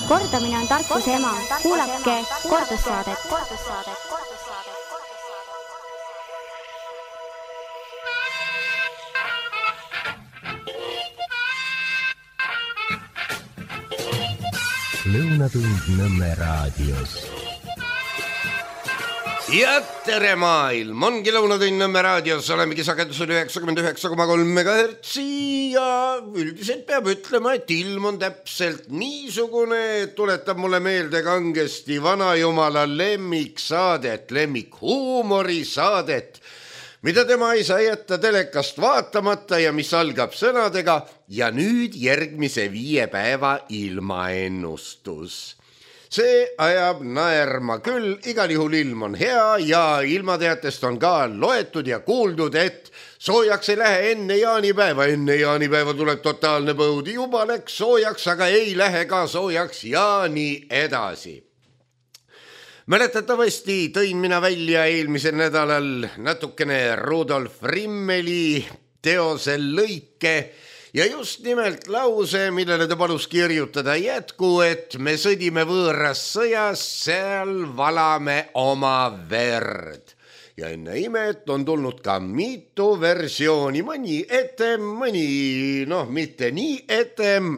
Kordamine on tarkuse ema. Kuulake kordussaadet. Lõunatund Nõmme raadios. Ja tere maailm, ongi Lõunatund Nõmme raadios, olemegi sagedusel 99,3 MHz ja üldiselt peab ütlema, et ilm on täpselt niisugune, et tuletab mulle meelde kangesti vanajumala lemmiksaadet, lemmikhuumorisaadet, mida tema ei saa jätta telekast vaatamata ja mis algab sõnadega ja nüüd järgmise 5 päeva ilmaennustus. See ajab naerma küll, igal juhul ilm on hea ja ilmateatest on ka loetud ja kuuldud, et soojaks ei lähe enne jaanipäeva. Enne jaanipäeva tuleb totaalne põud, juba läks soojaks, aga ei lähe ka soojaks ja nii edasi. Mäletatavasti tõin mina välja eelmisel nädalal natukene Rudolf Rimmeli teose lõike ja just nimelt lause, millele ta palus kirjutada jätku, et me sõdime võõras sõjas, seal valame oma verd. Ja enne imet on tulnud ka mitu versiooni, mõni etem, mõni mitte nii etem.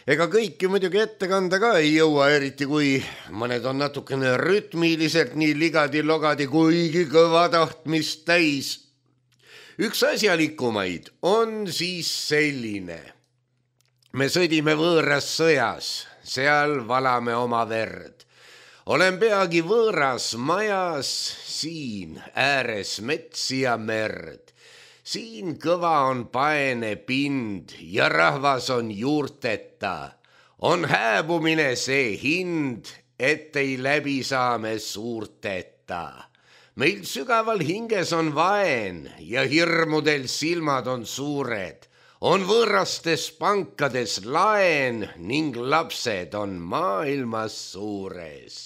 Ega kõiki muidugi ette kanda ka ei jõua, eriti kui mõned on natukene rütmiliselt nii ligadi-logadi, kuigi kõva tahtmist täis. Üks asjalikumaid on siis selline. Me sõdime võõras sõjas, seal valame oma verd. Olen peagi võõras majas, siin ääres metsi ja merd. Siin kõva on paene pind ja rahvas on juurteta. On hääbumine see hind, et ei läbi saame suurteta. Meil sügaval hinges on vaen ja hirmudel silmad on suured. On võõrastes pankades laen ning lapsed on maailmas suures.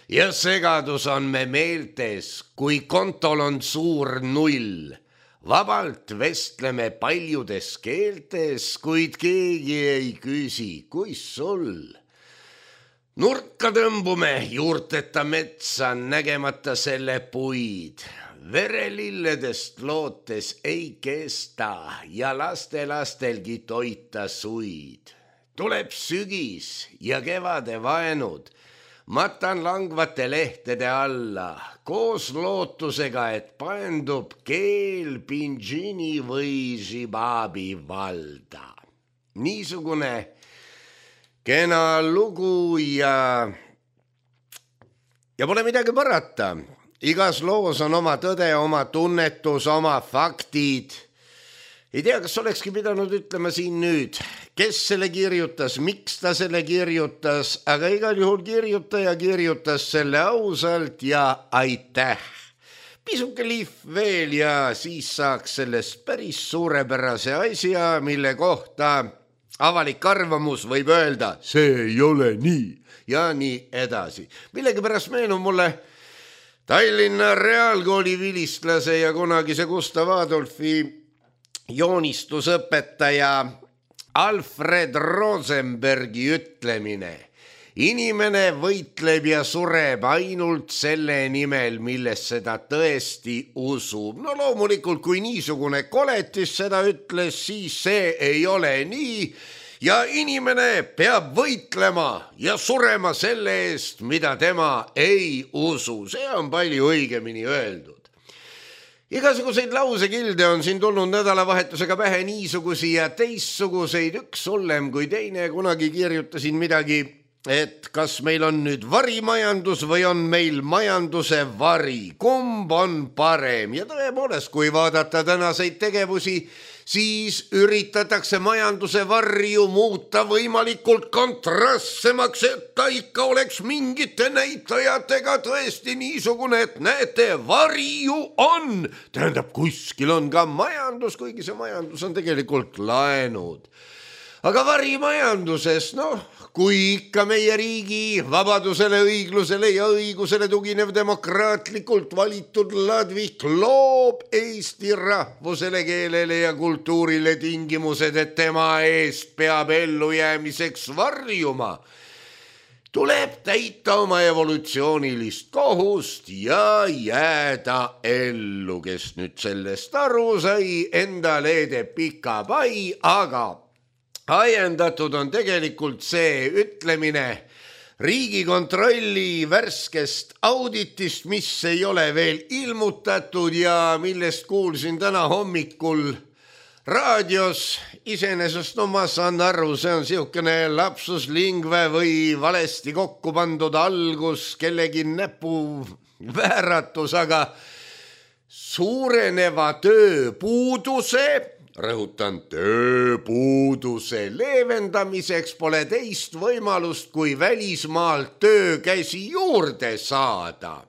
Ja segadus on me meeltes, kui kontol on suur null. Vabalt vestleme paljudes keeltes, kuid keegi ei küsi, kui sul. Nurka tõmbume juurteta metsa, nägemata selle puid. Verelilledest lootes ei kesta ja lastelastelgi toita suid. Tuleb sügis ja kevade vaenud. Matan langvate lehtede alla, koos lootusega, et paendub keel Pinjini või Žibabi valda. Niisugune kena lugu ja pole midagi parata. Igas loos on oma tõde, oma tunnetus, oma faktid. Ei tea, kas olekski pidanud ütlema siin nüüd, kes selle kirjutas, miks ta selle kirjutas, aga igal juhul kirjutaja kirjutas selle ausalt ja aitäh. Pisuke lihv veel ja siis saaks sellest päris suurepärase asja, mille kohta avalik arvamus võib öelda, see ei ole nii ja nii edasi. Millegipärast meenub mulle Tallinna Reaalkooli vilistlase ja kunagise Gustav Adolfi joonistusõpetaja Alfred Rosenbergi ütlemine. Inimene võitleb ja sureb ainult selle nimel, millesse ta tõesti usub. No loomulikult, kui niisugune koletis seda ütles, siis see ei ole nii. Ja inimene peab võitlema ja surema selle eest, mida tema ei usu. See on palju õigemini öeldud. Igasuguseid lausekilde on siin tulnud nädalavahetusega pähe niisugusi ja teistsuguseid, üks hullem kui teine. Kunagi kirjutasin midagi, et kas meil on nüüd varimajandus või on meil majanduse vari. Kumb on parem? Ja tõepoolest, kui vaadata tänaseid tegevusi, siis üritatakse majanduse varju muuta võimalikult kontrastsemaks, et ta ikka oleks mingite näitajatega tõesti niisugune, et näete, varju on. Tähendab, kuskil on ka majandus, kuigi see majandus on tegelikult laenud. aga varimajanduses, kui ikka meie riigi vabadusele, õiglusele ja õigusele tuginev demokraatlikult valitud ladvik loob Eesti rahvusele, keelele ja kultuurile tingimused, et tema eest peab ellujäämiseks varjuma, tuleb täita oma evolutsioonilist kohust ja jääda ellu. Kes nüüd sellest aru sai, enda leedeb pika pai, aga ajendatud on tegelikult see ütlemine Riigikontrolli värskest auditist, mis ei ole veel ilmutatud ja millest kuulsin täna hommikul raadios. Iseenesest ma saan aru, see on siukene lapsus lingue või valesti kokku pandud algus, kellegi näpu vääratus, aga suureneva tööpuuduse, rõhutan, tööpuuduse leevendamiseks pole teist võimalust kui välismaalt töökäsi juurde saada.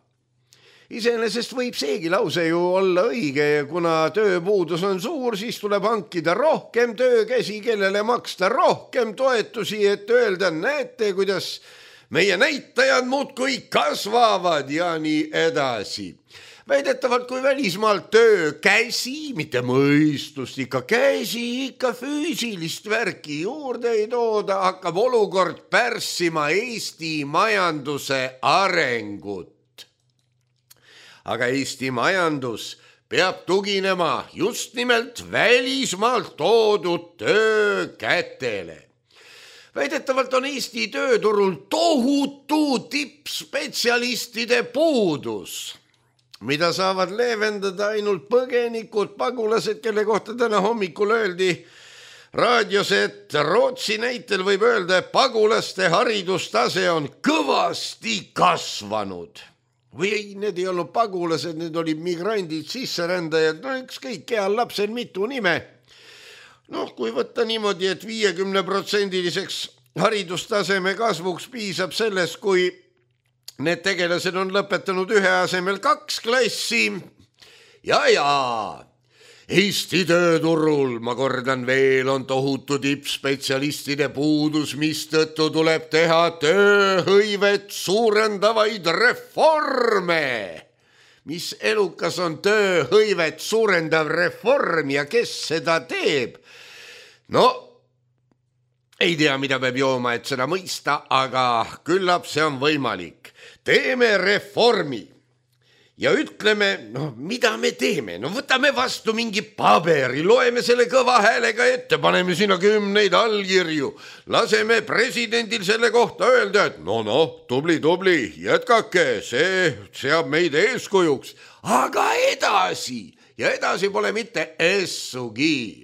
Iseenesest võib seegi lause ju olla õige ja kuna tööpuudus on suur, siis tuleb hankida rohkem töökäsi, kellele maksta rohkem toetusi, et öelda, näete, kuidas meie näitajad muudkui kasvavad ja nii edasi. Väidetavalt, kui välismaalt töökäsi, mitte mõistust, ikka käsi, ikka füüsilist värki juurde ei tooda, hakkab olukord pärssima Eesti majanduse arengut. Aga Eesti majandus peab tuginema just nimelt välismaalt toodud töökätele. Väidetavalt on Eesti tööturul tohutu tippspetsialistide puudus, mida saavad leevendada ainult põgenikud, pagulased, kelle kohta täna hommikul öeldi raadios, et Rootsi näitel võib öelda, et pagulaste haridustase on kõvasti kasvanud. Või ei, need ei olnud pagulased, need olid migrandid, sisserändajad, ükskõik, heal lapsel mitu nime. Kui võtta niimoodi, et 50%-liseks haridustaseme kasvuks piisab sellest, kui need tegelased on lõpetanud ühe asemel 2 klassi. Ja Eesti tööturul, ma kordan veel, on tohutu tippspetsialistide puudus, mistõttu tuleb teha tööhõivet suurendavaid reforme. Mis elukas on tööhõivet suurendav reform ja kes seda teeb? Ei tea, mida peab jooma, et seda mõista, aga küllap see on võimalik. Teeme reformi. Ja ütleme, mida me teeme? Võtame vastu mingi paberi, loeme selle kõva häälega ette, paneme sinna 10 allkirju, laseme presidendil selle kohta öelda, et tubli, jätkake, see seab meid eeskujuks. Aga edasi pole mitte essugi.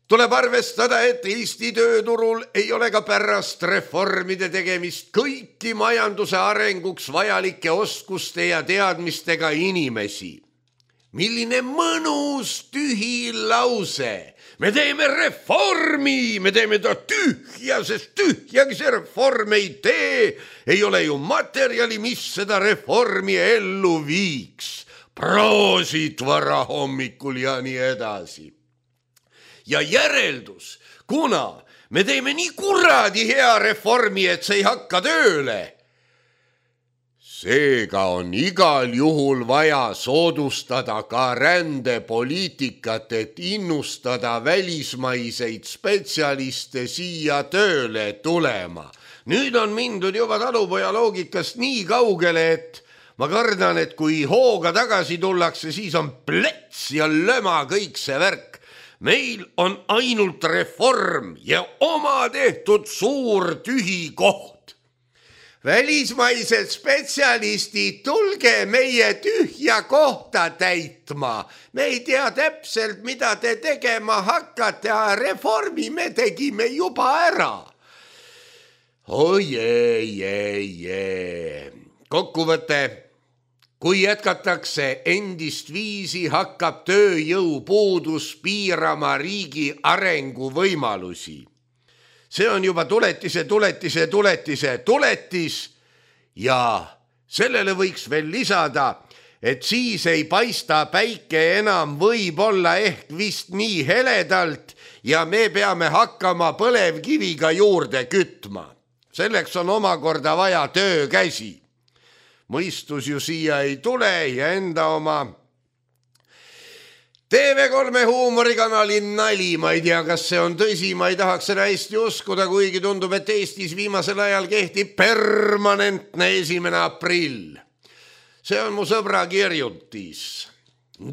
Tuleb arvestada, et Eesti tööturul ei ole ka pärast reformide tegemist kõiki majanduse arenguks vajalike oskuste ja teadmistega inimesi. Milline mõnus tühi lause. Me teeme reformi, me teeme ta tühja, sest tühjagi see reform ei tee. Ei ole ju materjali, mis seda reformi ellu viiks. Proosit vara hommikul ja nii edasi. Ja järeldus, kuna me teeme nii kuradi hea reformi, et see ei hakka tööle. Seega on igal juhul vaja soodustada ka rändepoliitikat, et innustada välismaiseid spetsialiste siia tööle tulema. Nüüd on mindud juba talupoja loogikast nii kaugele, et ma kardan, et kui hooga tagasi tullakse, siis on plets ja löma kõik see värk. Meil on ainult reform ja oma tehtud suur tühi koht. Välismaised spetsialistid, tulge meie tühja kohta täitma. Me ei tea täpselt, mida te tegema hakkate, aga reformi me tegime juba ära. Kokkuvõte. Kui jätkatakse endist viisi, hakkab tööjõupuudus piirama riigi arenguvõimalusi. See on juba tuletis ja sellele võiks veel lisada, et siis ei paista päike enam võib-olla ehk vist nii heledalt ja me peame hakkama põlevkiviga juurde kütma. Selleks on omakorda vaja töökäsi. Mõistus ju siia ei tule ja enda oma TV3 huumorikanali nali, ma ei tea, kas see on tõsi, ma ei tahaks seda hästi uskuda, kuigi tundub, et Eestis viimasel ajal kehtib permanentne 1. aprill. See on mu sõbra kirjutis.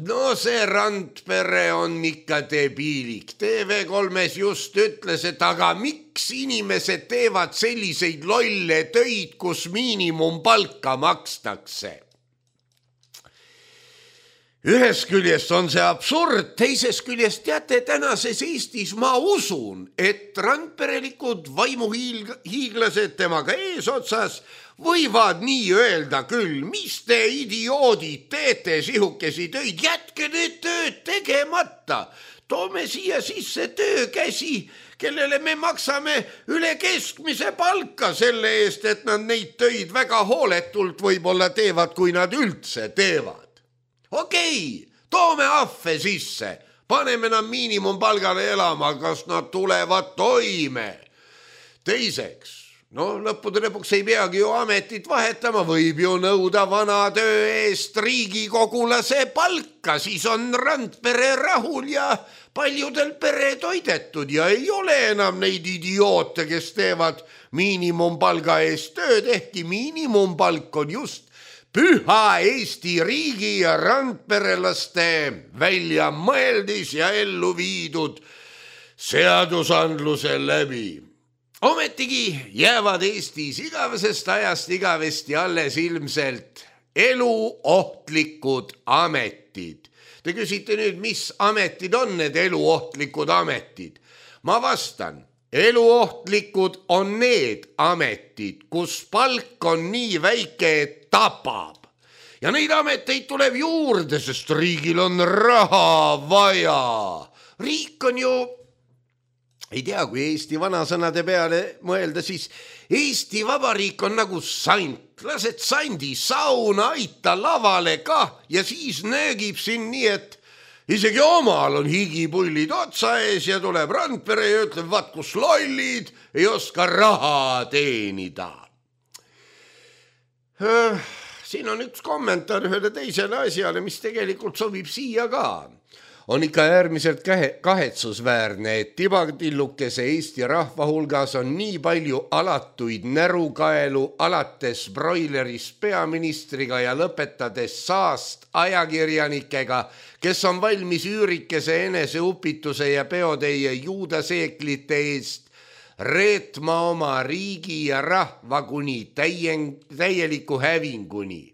No see Randpere on ikka debiilik. TV3-s just ütles, et aga miks inimesed teevad selliseid lolle töid, kus miinimumpalka makstakse? Ühest küljest on see absurd, teisest küljest teate, tänases Eestis ma usun, et randperelikud vaimuhiiglased temaga eesotsas võivad nii öelda küll, mis te idioodid teete sihukesi töid, jätke need tööd tegemata. Toome siia sisse töökäsi, kellele me maksame üle keskmise palka selle eest, et nad neid töid väga hooletult võib-olla teevad, kui nad üldse teevad. Okei, toome ahve sisse, paneme nad miinimumpalgale elama, kas nad tulevad toime. Teiseks, lõppude lõpuks ei peagi ju ametit vahetama, võib ju nõuda vana töö eest riigikogulase palka, siis on Randpere rahul ja paljudel pere toidetud ja ei ole enam neid idioote, kes teevad miinimumpalga eest tööd, ehkki miinimumpalk on just püha Eesti riigi ja randperelaste välja mõeldis ja ellu viidud seadusandluse läbi. Ometigi jäävad Eestis igavesest ajast igavesti alles ilmselt eluohtlikud ametid. Te küsite nüüd, mis ametid on need eluohtlikud ametid? Ma vastan. Eluohtlikud on need ametid, kus palk on nii väike, et tapab. Ja neid ameteid tuleb juurde, sest riigil on raha vaja. Riik on ju, ei tea, kui Eesti vanasõnade peale mõelda, siis Eesti Vabariik on nagu sant. Lased sandi sauna, aita lavale ka ja siis nöögib siin nii, et isegi omal on higipullid otsa ees ja tuleb Randpere ja ütleb, vaat kus lollid ei oska raha teenida. Siin on üks kommentaar ühele teisele asjale, mis tegelikult sobib siia ka. On ikka äärmiselt kahetsusväärne, et tibadillukese Eesti rahva hulgas on nii palju alatuid närukaelu alates broilerist peaministriga ja lõpetades saast ajakirjanikega, kes on valmis üürikese eneseupituse ja peoteie juudaseeklite eest reetma oma riigi ja rahva kuni täieliku hävinguni.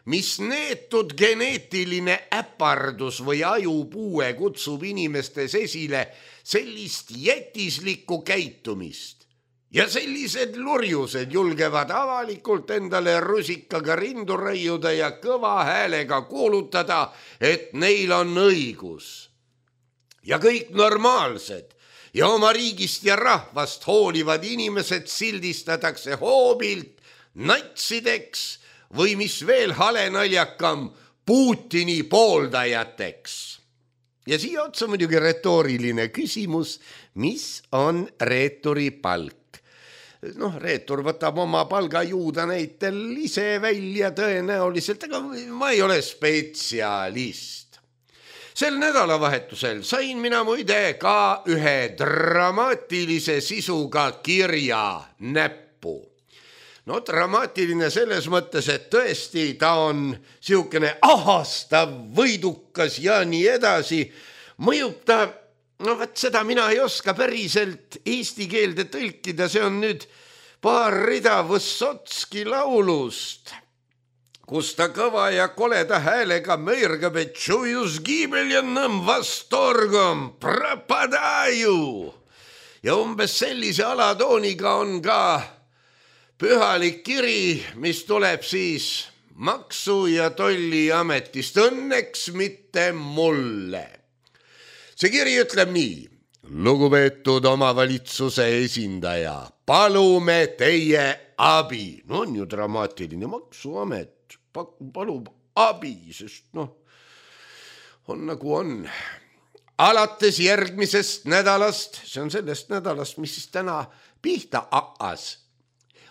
Mis neetud geneetiline äpardus või ajupuue kutsub inimestes esile sellist jätislikku käitumist. Ja sellised lurjused julgevad avalikult endale rusikaga rindu raiuda ja kõva häälega kuulutada, et neil on õigus. Ja kõik normaalsed ja oma riigist ja rahvast hoolivad inimesed sildistatakse hoobilt natsideks või mis veel halenaljakam Putini pooldajateks. Ja siia otsa muidugi retooriline küsimus, mis on reeturi palk? Reetur võtab oma palgajuuda näitel ise välja tõenäoliselt, aga ma ei ole spetsialist. Sel nädalavahetusel sain mina muide ka ühe dramaatilise sisuga kirja näppu. Dramaatiline selles mõttes, et tõesti ta on siukene ahastav, võidukas ja nii edasi. Mõjub ta, seda mina ei oska päriselt eesti keelde tõlkida, see on nüüd paar rida Võssotski laulust, kus ta kõva ja koleda häälega möirgab, et tšujus giibeljannõm vastorgom prapadaju. Ja umbes sellise alatooniga on ka pühalik kiri, mis tuleb siis Maksu- ja Tolliametist, õnneks mitte mulle. See kiri ütleb nii. Lugupeetud omavalitsuse esindaja, palume teie abi. On ju dramaatiline, Maksuamet palub abi, sest on nagu on. alates järgmisest nädalast, see on sellest nädalast, mis siis täna pihta hakkas.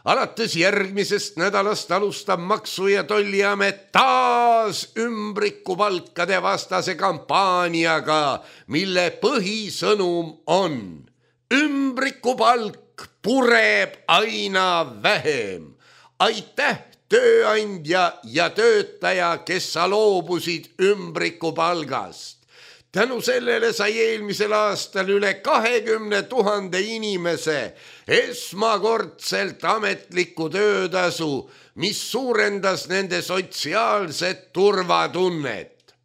Alates järgmisest nädalast alustab Maksu- ja Tolliamet taas ümbrikupalkade vastase kampaaniaga, mille põhisõnum on: ümbrikupalk pureb aina vähem. Aitäh, tööandja ja töötaja, kes sa loobusid ümbrikupalgast. Tänu sellele sai eelmisel aastal üle 20 000 inimese esmakordselt ametlikku töötasu, mis suurendas nende sotsiaalset turvatunnet.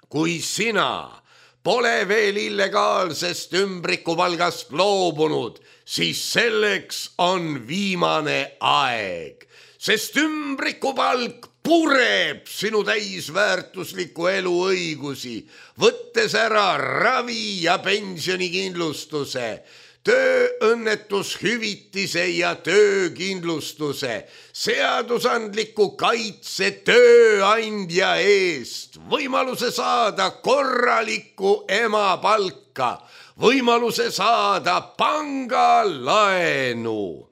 Kui sina pole veel illegaalsest ümbrikupalgast loobunud, siis selleks on viimane aeg, sest ümbrikupalk pureb sinu täisväärtusliku elu õigusi, võttes ära ravi- ja pensionikindlustuse, tööõnnetushüvitise ja töökindlustuse, seadusandliku kaitse tööandja eest, võimaluse saada korralikku emapalka, võimaluse saada pangalaenu.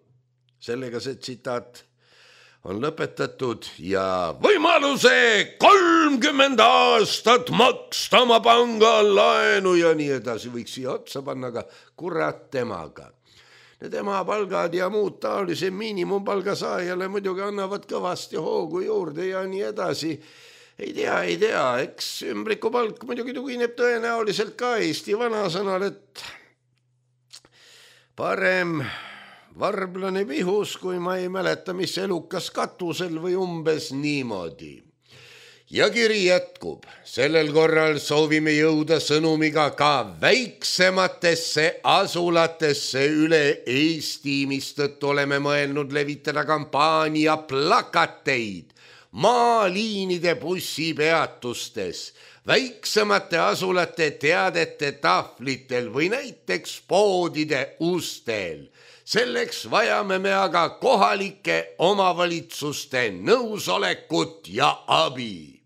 Sellega see tsitaat on lõpetatud ja võimaluse 30 aastat maksta oma pangalaenu ja nii edasi võiks siia otsa panna, aga kurat temaga. Need emapalgad ja muud taolise miinimumpalga saajale muidugi annavad kõvasti hoogu juurde ja nii edasi. Ei tea, eks ümbrikupalk muidugi tugineb tõenäoliselt ka Eesti vanasõnal, et parem varblane pihus, kui ma ei mäleta, mis elukas katusel või umbes niimoodi. Ja kiri jätkub. Sellel korral soovime jõuda sõnumiga ka väiksematesse asulatesse üle Eesti, mistõttu oleme mõelnud levitada kampaania plakateid maaliinide bussipeatustes, väiksemate asulate teadete tahvlitel või näiteks poodide ustel. Selleks vajame me aga kohalike omavalitsuste nõusolekut ja abi.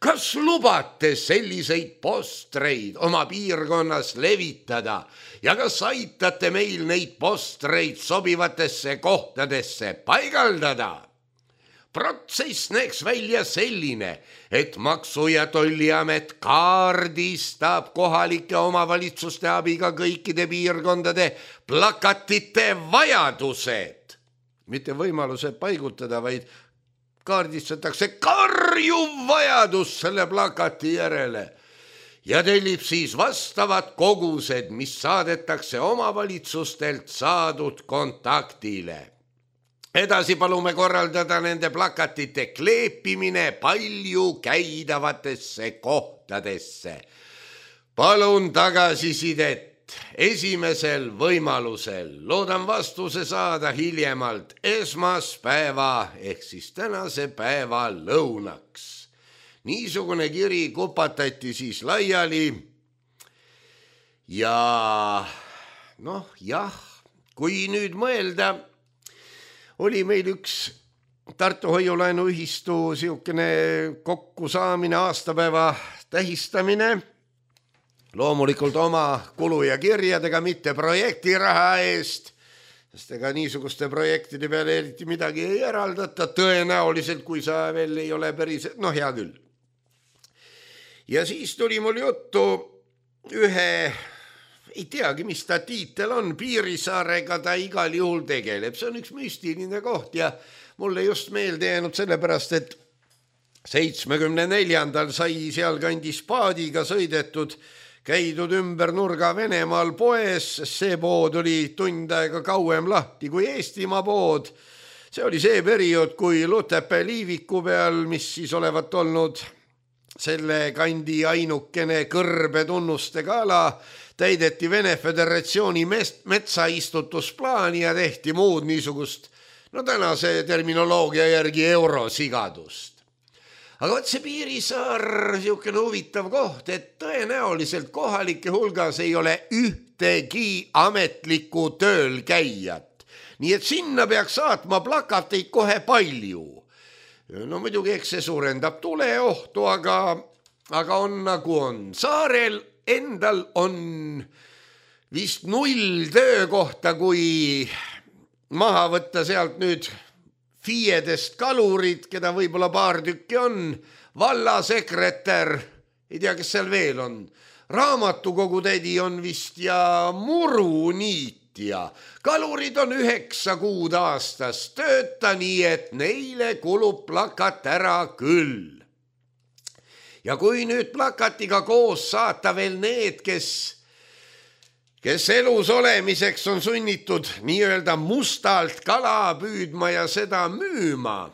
Kas lubate selliseid postreid oma piirkonnas levitada ja kas aitate meil neid postreid sobivatesse kohtadesse paigaldada? Protsess näeks välja selline, et Maksu- ja Tolliamet kaardistab kohalike omavalitsuste abiga kõikide piirkondade plakatite vajadused. Mitte võimalused paigutada, vaid kaardistatakse karjuv vajadus selle plakati järele ja tellib siis vastavad kogused, mis saadetakse omavalitsustelt saadud kontaktile. Edasi palume korraldada nende plakatite kleepimine palju käidavatesse kohtadesse. Palun tagasisidet esimesel võimalusel. Loodan vastuse saada hiljemalt esmaspäeva ehk siis tänase päeva lõunaks. Niisugune kiri kupatati siis laiali ja kui nüüd mõelda, oli meil üks Tartu Hoiulaenuühistu siukene kokkusaamine, aastapäeva tähistamine. Loomulikult oma kulu ja kirjadega, mitte projektiraha eest, sest ega niisuguste projektide peale eriti midagi ei eraldata, tõenäoliselt, kui sa veel ei ole päris, hea küll. Ja siis tuli mul juttu ühe, ei teagi, mis ta tiitel on, Piirissaarega ta igal juhul tegeleb. See on üks müstiline koht ja mulle just meelde jäänud sellepärast, et 74. sai sealkandis paadiga sõidetud, käidud ümber nurga Venemaal poes, see pood oli tund aega kauem lahti kui Eestimaa pood. See oli see periood, kui Lutepää liiviku peal, mis siis olevat olnud selle kandi ainukene kõrbetunnustega ala, täideti Vene Föderatsiooni metsaistutusplaani ja tehti muud niisugust, tänase terminoloogia järgi eurosigadust. Aga võt see Piirissaar, siukene huvitav koht, et tõenäoliselt kohalike hulgas ei ole ühtegi ametlikku tööl käijat. Nii et sinna peaks saatma plakateid kohe palju. Muidugi, eks see suurendab tuleohtu, aga on nagu on. Saarel endal on vist 0 töökohta, kui maha võtta sealt nüüd FIE-dest kalurid, keda võib-olla paar tükki on, vallasekretär, ei tea, kes seal veel on, raamatukogu tädi on vist ja muruniitja. Kalurid on 9 kuud aastas tööta, nii et neile kulub plakat ära küll. Ja kui nüüd plakatiga koos saata veel need, kes elus olemiseks on sunnitud nii-öelda mustalt kala püüdma ja seda müüma,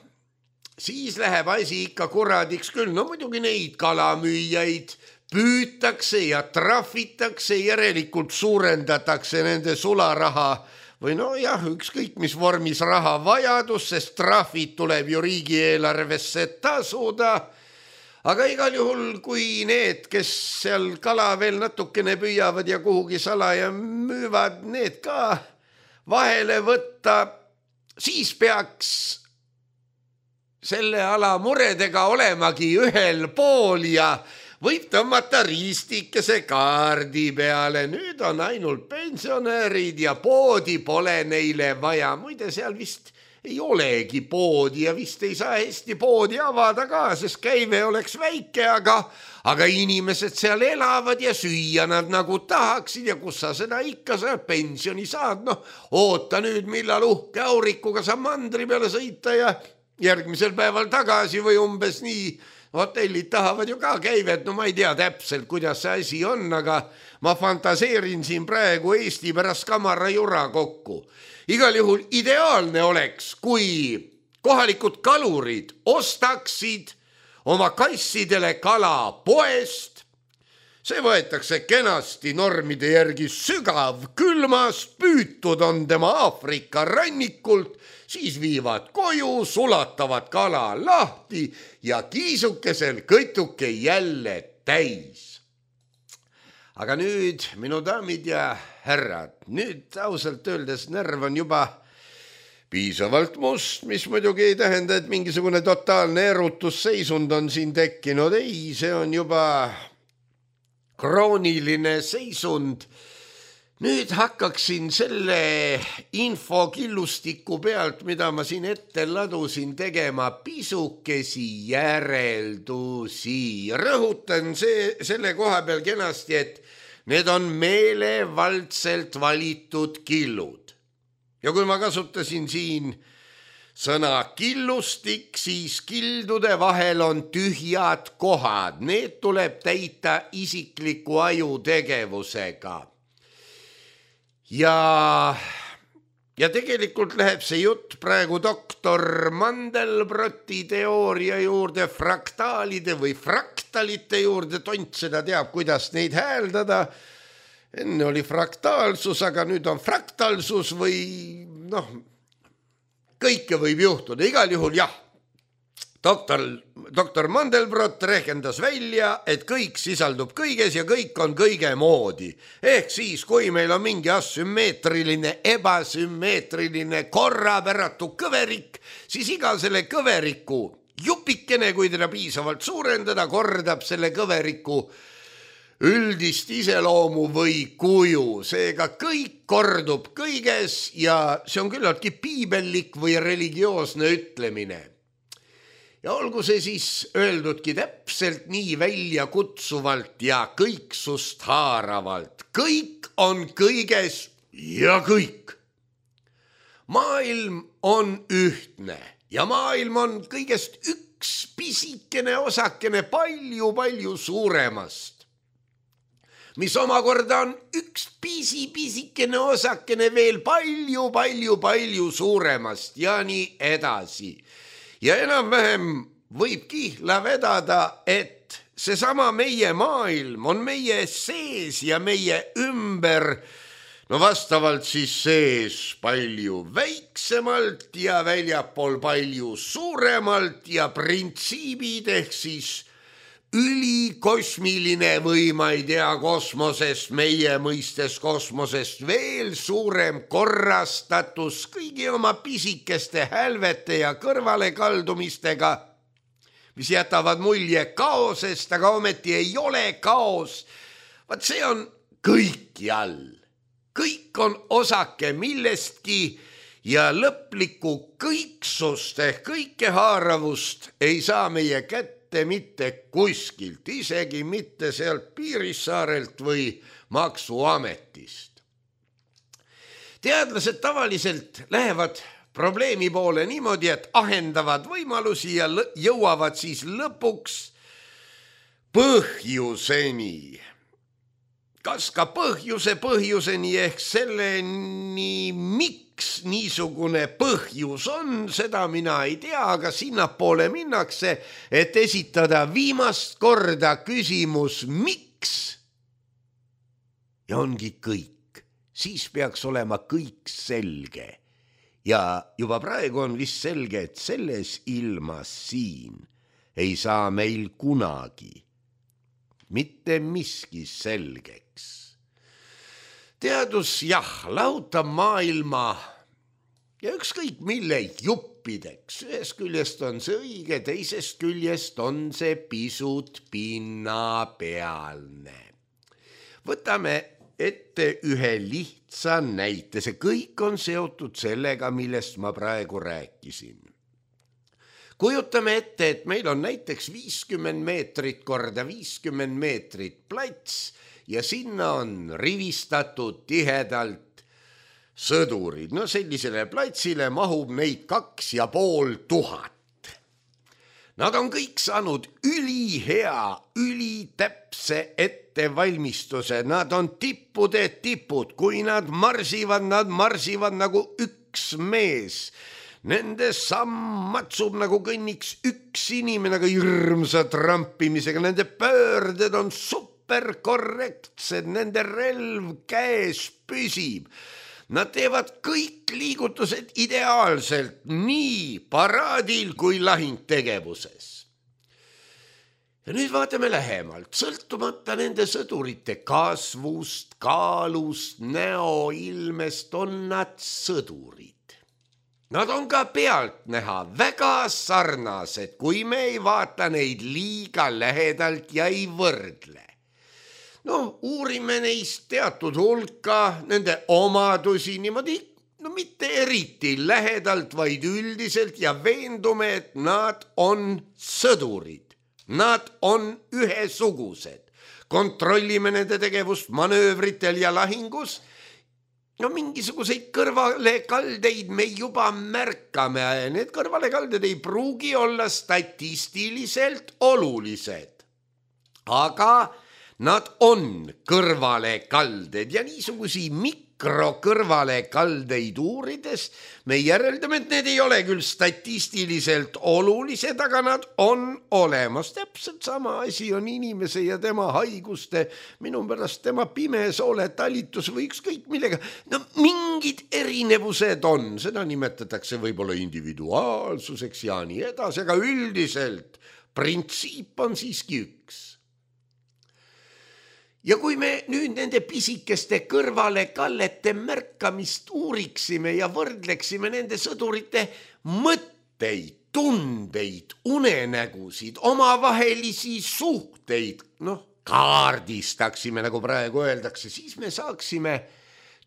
siis läheb asi ikka kuradiks küll. No muidugi neid kalamüüjaid püütakse ja trahvitakse, järelikult suurendatakse nende sularaha või no jah, ükskõik mis vormis raha vajadus, sest trahvid tuleb ju riigieelarvesse tasuda. Aga igal juhul, kui need, kes seal kala veel natukene püüavad ja kuhugi salaja müüvad, need ka vahele võtta, siis peaks selle ala muredega olemagi ühel pool ja võib tõmmata riistikese kaardi peale. Nüüd on ainult pensionärid ja poodi pole neile vaja. Muide, seal vist ei olegi poodi ja vist ei saa hästi poodi avada ka, sest käive oleks väike, aga inimesed seal elavad ja süüa nad nagu tahaksid ja kus sa seda ikka sa pensioni saad. No, oota nüüd, millal uhke aurikuga sa mandri peale sõita ja järgmisel päeval tagasi või umbes nii. Hotellid tahavad ju ka käivet, no ma ei tea täpselt, kuidas see asi on, aga ma fantaseerin siin praegu Eesti pärast kamara jura kokku. Igal juhul ideaalne oleks, kui kohalikud kalurid ostaksid oma kassidele kala poest. See võetakse kenasti normide järgi sügav külmas, püütud on tema Aafrika rannikult, siis viivad koju, sulatavad kala lahti ja kiisukesel kõtuke jälle täis. Aga nüüd, minu daamid ja härrad, nüüd ausalt öeldes närv on juba piisavalt must, mis muidugi ei tähenda, et mingisugune totaalne erutusseisund on siin tekkinud. Ei, see on juba krooniline seisund. Nüüd hakkaksin selle infokillustiku pealt, mida ma siin ette ladusin, tegema pisukesi järeldusi. Rõhutan selle koha peal kenasti, et need on meelevaldselt valitud killud. Ja kui ma kasutasin siin sõna killustik, siis kildude vahel on tühjad kohad. Need tuleb täita isikliku aju tegevusega. Ja tegelikult läheb see jutt praegu doktor Mandelbroti teooria juurde, fraktaalide või fraktalite juurde. Tont seda teab, kuidas neid hääldada. Enne oli fraktaalsus, aga nüüd on fraktalsus või kõike võib juhtuda. Igal juhul jah, doktor Mandelbrot rehkendas välja, et kõik sisaldub kõiges ja kõik on kõige moodi. Ehk siis, kui meil on mingi asümmeetriline, ebasümmeetriline, korrapäratu kõverik, siis iga selle kõveriku jupikene, kui teda piisavalt suurendada, kordab selle kõveriku üldist iseloomu või kuju. Seega kõik kordub kõiges ja see on küllaltki piibellik või religioosne ütlemine. Ja olgu see siis öeldudki täpselt nii välja kutsuvalt ja kõiksust haaravalt. Kõik on kõiges ja kõik. Maailm on ühtne ja maailm on kõigest üks pisikene osakene palju suuremast, mis omakorda on üks pisikene osakene veel palju suuremast ja nii edasi. Ja enam-vähem võib kihla vedada, et seesama meie maailm on meie sees ja meie ümber, no vastavalt siis sees palju väiksemalt ja väljapool palju suuremalt ja printsiibid ehk siis ülikosmiline või ma ei tea, kosmosest, meie mõistes kosmosest veel suurem korrastatus kõigi oma pisikeste hälvete ja kõrvalekaldumistega, mis jätavad mulje kaosest, aga ometi ei ole kaos, Vaat see on kõikjal. Kõik on osake millestki ja lõplikku kõiksust ehk kõikehaaravust ei saa meie kätte mitte kuskilt, isegi mitte sealt Piirissaarelt või maksuametist. Teadlased tavaliselt lähevad probleemi poole niimoodi, et ahendavad võimalusi ja jõuavad siis lõpuks põhjuseni. Kas ka põhjuseni ehk selleni, miks niisugune põhjus on, seda mina ei tea, aga sinnapoole minnakse, et esitada viimast korda küsimus, miks? Ja ongi kõik. Siis peaks olema kõik selge. Ja juba praegu on vist selge, et selles ilmas siin ei saa meil kunagi mitte miski selgeks. Teadus lahutab maailma ja ükskõik mille juppideks. Ühest küljest on see õige, teisest küljest on see pisut pinnapealne. Võtame ette ühe lihtsa näite. See kõik on seotud sellega, millest ma praegu rääkisin. Kujutame ette, et meil on näiteks 50 meetrit korda 50 meetrit plats ja sinna on rivistatud tihedalt sõdurid. No sellisele platsile mahub neid 2500. Nad on kõik saanud ülihea, ülitäpse ettevalmistuse. Nad on tippude tipud. Kui nad marsivad nagu üks mees. Nende samm matsub nagu kõnniks üks inimene, aga hirmsa trampimisega. Nende pöörded on superkorrektsed. Nende relv käes püsib. Nad teevad kõik liigutused ideaalselt, nii paraadil kui lahingtegevuses. Ja nüüd vaatame lähemalt, sõltumata nende sõdurite kasvust, kaalust, näoilmest on nad sõdurid. Nad on ka pealt näha väga sarnased, kui me ei vaata neid liiga lähedalt ja ei võrdle. Uurime neist teatud hulka, nende omadusi niimoodi, mitte eriti lähedalt, vaid üldiselt ja veendume, et nad on sõdurid. Nad on ühesugused. Kontrollime nende tegevust manöövritel ja lahingus. Mingisuguseid kõrvalekaldeid me juba märkame. Need kõrvalekalded ei pruugi olla statistiliselt olulised. Aga nad on kõrvalekalded ja niisugusi mikrokõrvalekaldeid uurides me järeldame, et need ei ole küll statistiliselt olulised, aga nad on olemas. Täpselt sama asi on inimese ja tema haiguste, minu pärast tema pimesoole talitus või ükskõik millega. Mingid erinevused on, seda nimetatakse võib-olla individuaalsuseks ja nii edasi, aga üldiselt printsiip on siiski üks. Ja kui me nüüd nende pisikeste kõrvalekallete märkamist uuriksime ja võrdleksime nende sõdurite mõtteid, tundeid, unenägusid, omavahelisi suhteid, kaardistaksime, nagu praegu öeldakse, siis me saaksime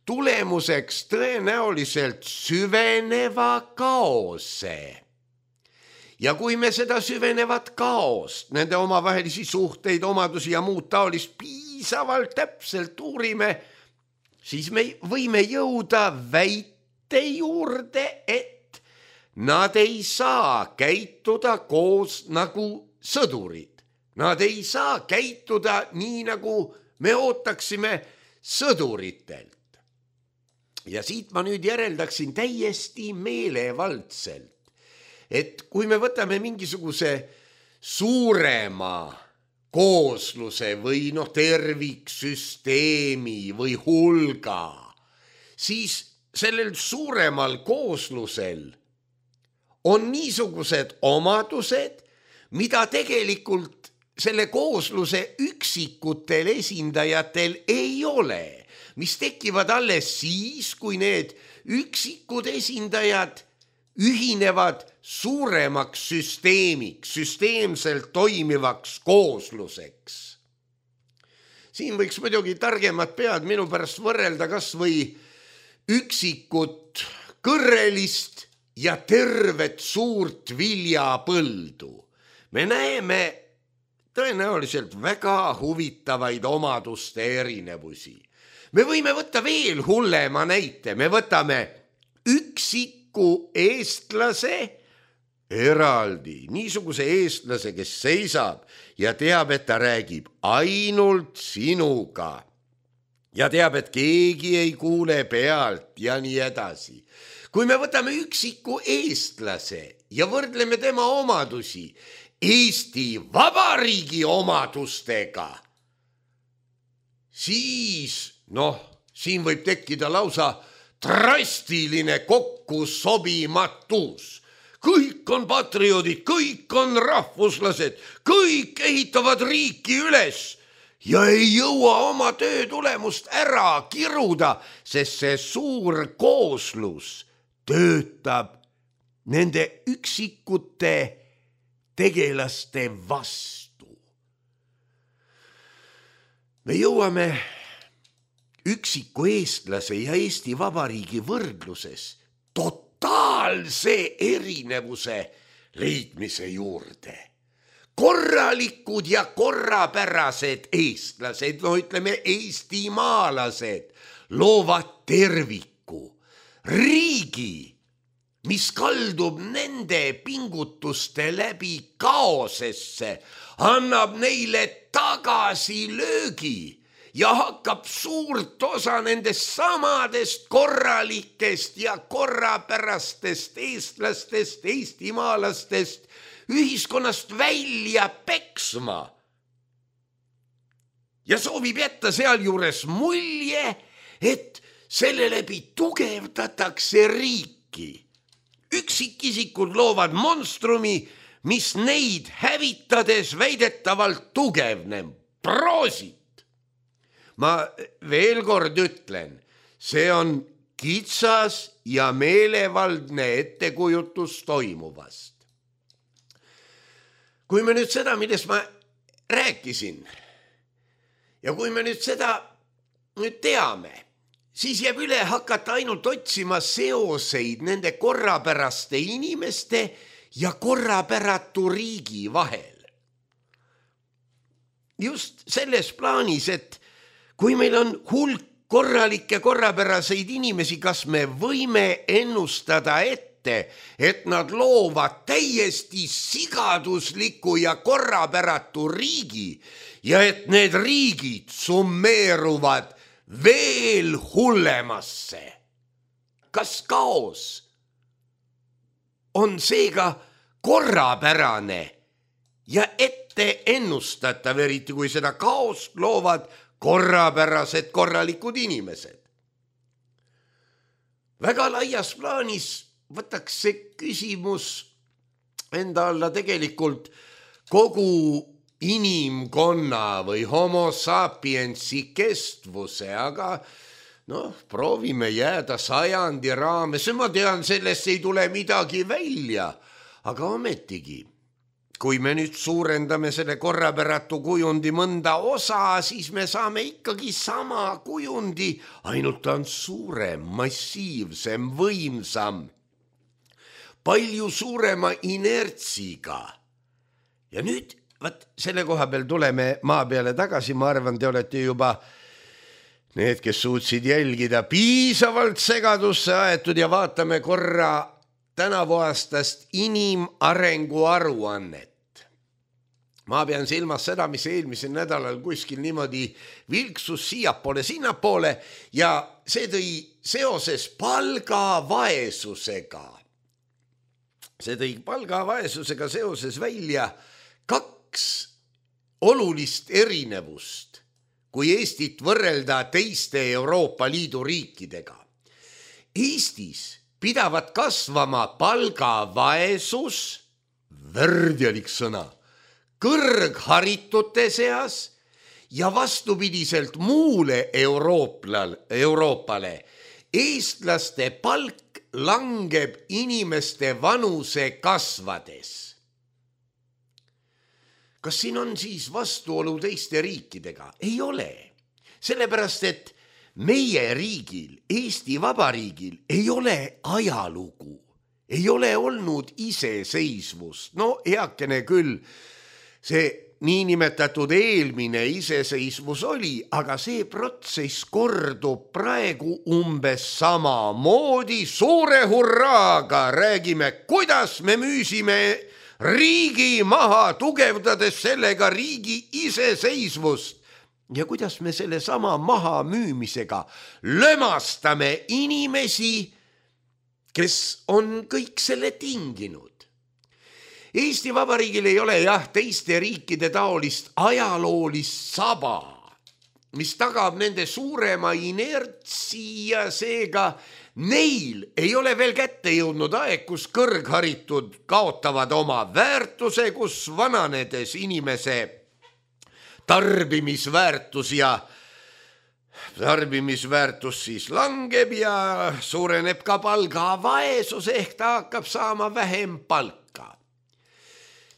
tulemuseks tõenäoliselt süveneva kaose. Ja kui me seda süvenevat kaost, nende omavahelisi suhteid, omadusi ja muud taolist piisavalt täpselt uurime, siis me võime jõuda väite juurde, et nad ei saa käituda koos nagu sõdurid. Nad ei saa käituda nii, nagu me ootaksime sõduritelt. Ja siit ma nüüd järeldaksin täiesti meelevaldselt, et kui me võtame mingisuguse suurema koosluse või terviksüsteemi või hulga, siis sellel suuremal kooslusel on niisugused omadused, mida tegelikult selle koosluse üksikutel esindajatel ei ole, mis tekivad alles siis, kui need üksikud esindajad ühinevad suuremaks süsteemiks, süsteemselt toimivaks koosluseks. siin võiks muidugi targemad pead minu pärast võrrelda kas või üksikut kõrrelist ja tervet suurt viljapõldu. Me näeme tõenäoliselt väga huvitavaid omaduste erinevusi. Me võime võtta veel hullema näite, me võtame üksiku eestlase eraldi, niisuguse eestlase, kes seisab ja teab, et ta räägib ainult sinuga ja teab, et keegi ei kuule pealt ja nii edasi. Kui me võtame üksiku eestlase ja võrdleme tema omadusi Eesti Vabariigi omadustega, siis siin võib tekkida lausa drastiline kokkusobimatus. Kõik on patrioodid, kõik on rahvuslased, kõik ehitavad riiki üles ja ei jõua oma töö tulemust ära kiruda, sest see suur kooslus töötab nende üksikute tegelaste vastu. Me jõuame üksiku eestlase ja Eesti Vabariigi võrdluses totaalse erinevuse leidmise juurde. Korralikud ja korrapärased eestlased, ütleme eestimaalased, loovad terviku, riigi, mis kaldub nende pingutuste läbi kaosesse, annab neile tagasilöögi ja hakkab suurt osa nendest samadest korralikest ja korrapärastest eestlastest, eestimaalastest ühiskonnast välja peksma. Ja soovib jätta sealjuures mulje, et selle läbi tugevdatakse riiki. Üksikisikud loovad monstrumi, mis neid hävitades väidetavalt tugevneb. Proosit! Ma veel kord ütlen, see on kitsas ja meelevaldne ettekujutus toimuvast. Kui me nüüd seda, millest ma rääkisin, ja kui me nüüd seda teame, siis jääb üle hakata ainult otsima seoseid nende korrapäraste inimeste ja korrapäratu riigi vahel. Just selles plaanis, et kui meil on hulk korralikke korrapäraseid inimesi, kas me võime ennustada ette, et nad loovad täiesti sigadusliku ja korrapäratu riigi ja et need riigid summeeruvad veel hullemasse? Kas kaos on seega korrapärane ja ette ennustatav, eriti kui seda kaost loovad korrapärased korralikud inimesed? Väga laias plaanis võtaks see küsimus enda alla tegelikult kogu inimkonna või homo sapiensi kestvuse, aga proovime jääda 100 raames. Ma tean, sellest ei tule midagi välja, aga ometigi, kui me nüüd suurendame selle korrapäratu kujundi mõnda osa, siis me saame ikkagi sama kujundi, ainult ta on suurem, massiivsem, võimsam, palju suurema inertsiga. Ja nüüd, selle koha peal tuleme maa peale tagasi, ma arvan, te olete juba need, kes suutsid jälgida, piisavalt segadusse aetud ja vaatame korra tänavu aastast inimarengu aruannet. Ma pean silmas seda, mis eelmisel nädalal kuskil niimoodi vilksus siiapoole, sinnapoole ja see tõi seoses palgavaesusega. See tõi palgavaesusega seoses välja 2 olulist erinevust, kui Eestit võrrelda teiste Euroopa Liidu riikidega. Eestis pidavat kasvama palgavaesus, värdjalik sõna, kõrgharitute seas ja vastupidiselt muule Euroopale eestlaste palk langeb inimeste vanuse kasvades. Kas siin on siis vastuolu teiste riikidega? Ei ole. sellepärast, et meie riigil, Eesti Vabariigil ei ole ajalugu, ei ole olnud iseseisvust. No heakene küll, see niinimetatud eelmine iseseisvus oli, aga see protsess kordub praegu umbes samamoodi. Suure hurraaga räägime, kuidas me müüsime riigi maha, tugevdades sellega riigi iseseisvust ja kuidas me selle sama maha müümisega lömastame inimesi, kes on kõik selle tinginud. Eesti Vabariigil ei ole teiste riikide taolist ajaloolist saba, mis tagab nende suurema inertsi ja seega neil ei ole veel kätte jõudnud aeg, kus kõrgharitud kaotavad oma väärtuse, kus vananedes inimese tarbimisväärtus siis langeb ja suureneb ka palgavaesus ehk ta hakkab saama vähem palka.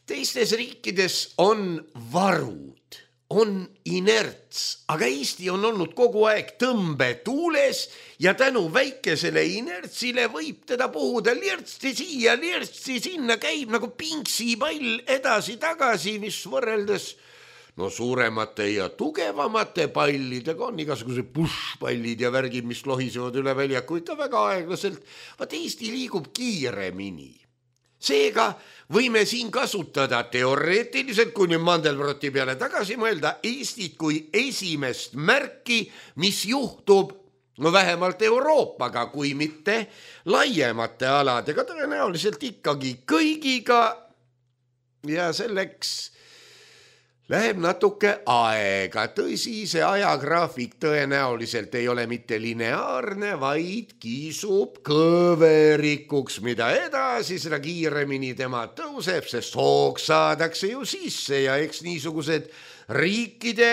Teistes riikides on varud, on inerts, aga Eesti on olnud kogu aeg tõmbetuules ja tänu väikesele inertsile võib teda puhuda lirtsi siia, lirtsi sinna, käib nagu pingsipall edasi-tagasi, mis võrreldes suuremate ja tugevamate pallidega on igasugused pushpallid ja värgid, mis lohisevad üle väljaku ikka väga aeglaselt. Vaat Eesti liigub kiiremini. Seega võime siin kasutada teoreetiliselt, kui nüüd Mandelbroti peale tagasi mõelda, Eestit kui esimest märki, mis juhtub vähemalt Euroopaga, kui mitte laiemate aladega, tõenäoliselt ikkagi kõigiga ja selleks läheb natuke aega. Tõsi, see ajagraafik tõenäoliselt ei ole mitte lineaarne, vaid kiisub kõverikuks, mida edasi, seda kiiremini tema tõuseb, sest hoog saadakse ju sisse ja eks niisugused riikide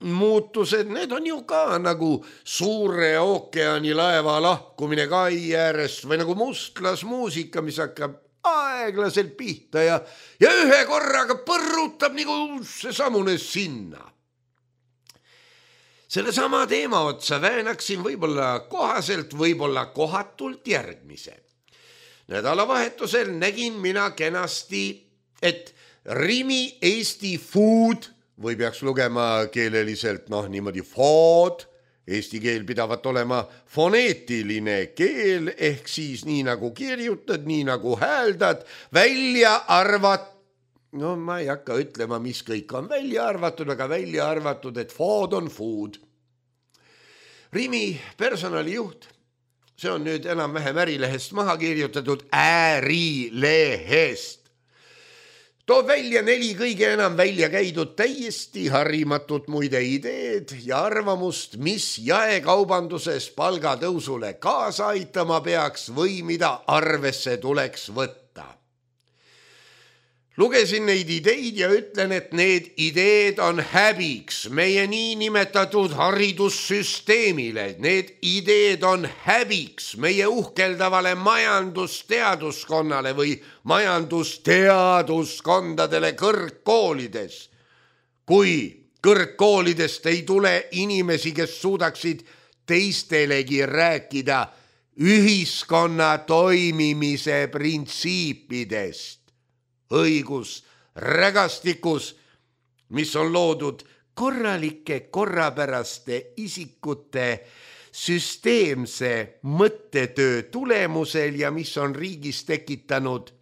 muutused, need on ju ka nagu suure ookeani laeva lahkumine kai äärest või nagu mustlasmuusika, mis hakkab aeglaselt pihta ja ühe korraga põrrutab nagu seesamune sinna. Selle sama teema otsa väänaksin võib-olla kohaselt, võib-olla kohatult järgmise. Nädalavahetusel nägin mina kenasti, et Rimi Eesti Food või peaks lugema keeleliselt niimoodi food, Eesti keel pidavat olema foneetiline keel, ehk siis nii nagu kirjutad, nii nagu hääldad, välja ma ei hakka ütlema, mis kõik on välja arvatud, aga välja arvatud, et food on food. Rimi personalijuht, see on nüüd enam-vähem Ärilehest maha kirjutatud, Ärilehest. Toob välja 4 kõige enam välja käidud täiesti harimatut muide ideed ja arvamust, mis jaekaubanduses palgatõusule kaasa aitama peaks või mida arvesse tuleks võtta. Lugesin neid ideid ja ütlen, et need ideed on häbiks meie niinimetatud haridussüsteemile. Need ideed on häbiks meie uhkeldavale majandusteaduskonnale või majandusteaduskondadele kõrgkoolides. Kui kõrgkoolidest ei tule inimesi, kes suudaksid teistelegi rääkida ühiskonna toimimise printsiipidest, õigus rägastikus, mis on loodud korralike korrapäraste isikute süsteemse mõttetöö tulemusel ja mis on riigis tekitanud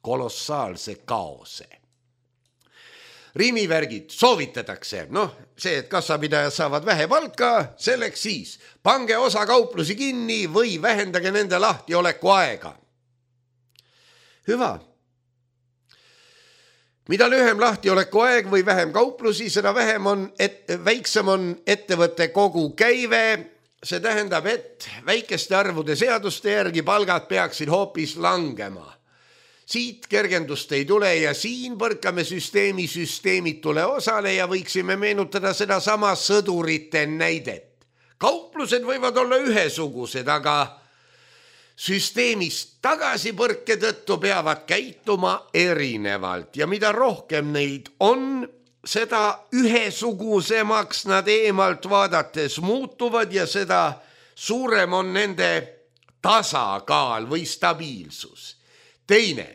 kolossaalse kaose. Rimivärgid soovitatakse, see, et kassapidajad saavad vähe palka, selleks siis pange osa kauplusi kinni või vähendage nende lahtioleku aega. Hüva. Mida lühem lahtioleku aeg või vähem kauplusi, seda väiksem on ettevõtte kogu käive. See tähendab, et väikeste arvude seaduste järgi palgad peaksid hoopis langema. Siit kergendust ei tule ja siin põrkame süsteemitule osale ja võiksime meenutada seda sama sõdurite näidet. Kauplused võivad olla ühesugused, aga süsteemist tagasipõrke tõttu peavad käituma erinevalt ja mida rohkem neid on, seda ühesugusemaks nad eemalt vaadates muutuvad ja seda suurem on nende tasakaal või stabiilsus. Teine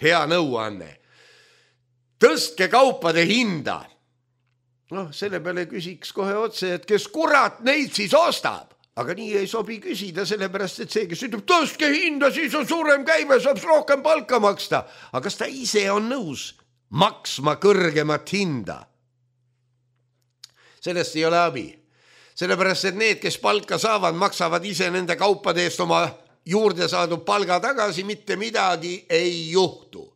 hea nõuanne. Tõstke kaupade hinda. Selle peale küsiks kohe otse, et kes kurat neid siis ostab? Aga nii ei sobi küsida, sellepärast, et see, kes ütleb, tõstke hinda, siis on suurem käive, saab rohkem palka maksta. Aga kas ta ise on nõus maksma kõrgemat hinda? Sellest ei ole abi. Sellepärast, et need, kes palka saavad, maksavad ise nende kaupade eest oma juurde saadud palga tagasi, mitte midagi ei juhtu.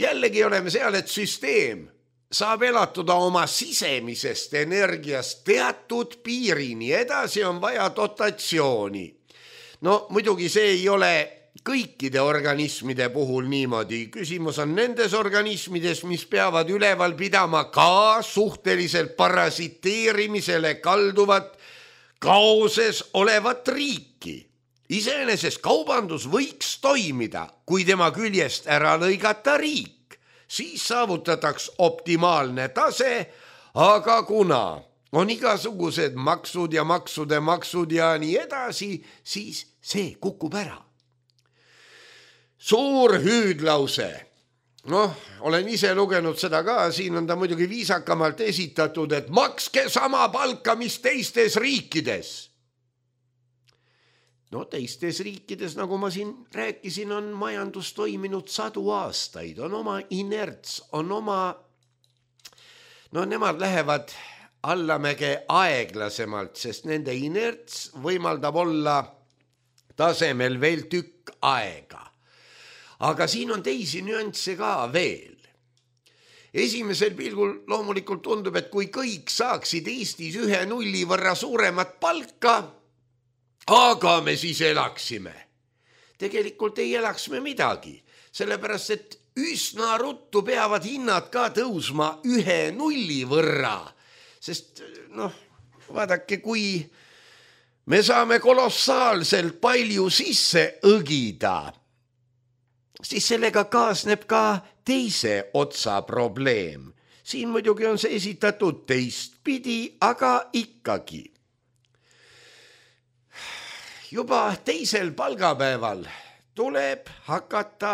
Jällegi oleme seal, et süsteem saab elatuda oma sisemisest energiast teatud piirini, edasi on vaja dotatsiooni. Muidugi see ei ole kõikide organismide puhul niimoodi. Küsimus on nendes organismides, mis peavad üleval pidama ka suhteliselt parasiteerimisele kalduvat kaoses olevat riiki. Iseenesest kaubandus võiks toimida, kui tema küljest ära lõigata riik. Siis saavutataks optimaalne tase, aga kuna on igasugused maksud ja maksud ja nii edasi, siis see kukub ära. Suur hüüdlause. Olen ise lugenud seda ka, siin on ta muidugi viisakamalt esitatud, et makske sama palka, mis teistes riikides. Teistes riikides, nagu ma siin rääkisin, on majandus toiminud 100 aastaid, on oma inerts, on oma, nemad lähevad allamäge aeglasemalt, sest nende inerts võimaldab olla tasemel veel tükk aega. Aga siin on teisi nüansse ka veel. Esimesel pilgul loomulikult tundub, et kui kõik saaksid Eestis 1 nulli võrra suuremat palka, aga me siis elaksime. Tegelikult ei elaks me midagi, sellepärast et üsna ruttu peavad hinnad ka tõusma 1 nulli võrra. Sest vaadake, kui me saame kolossaalselt palju sisse õgida, siis sellega kaasneb ka teise otsa probleem. Siin muidugi on see esitatud teistpidi, aga ikkagi. Juba teisel palgapäeval tuleb hakata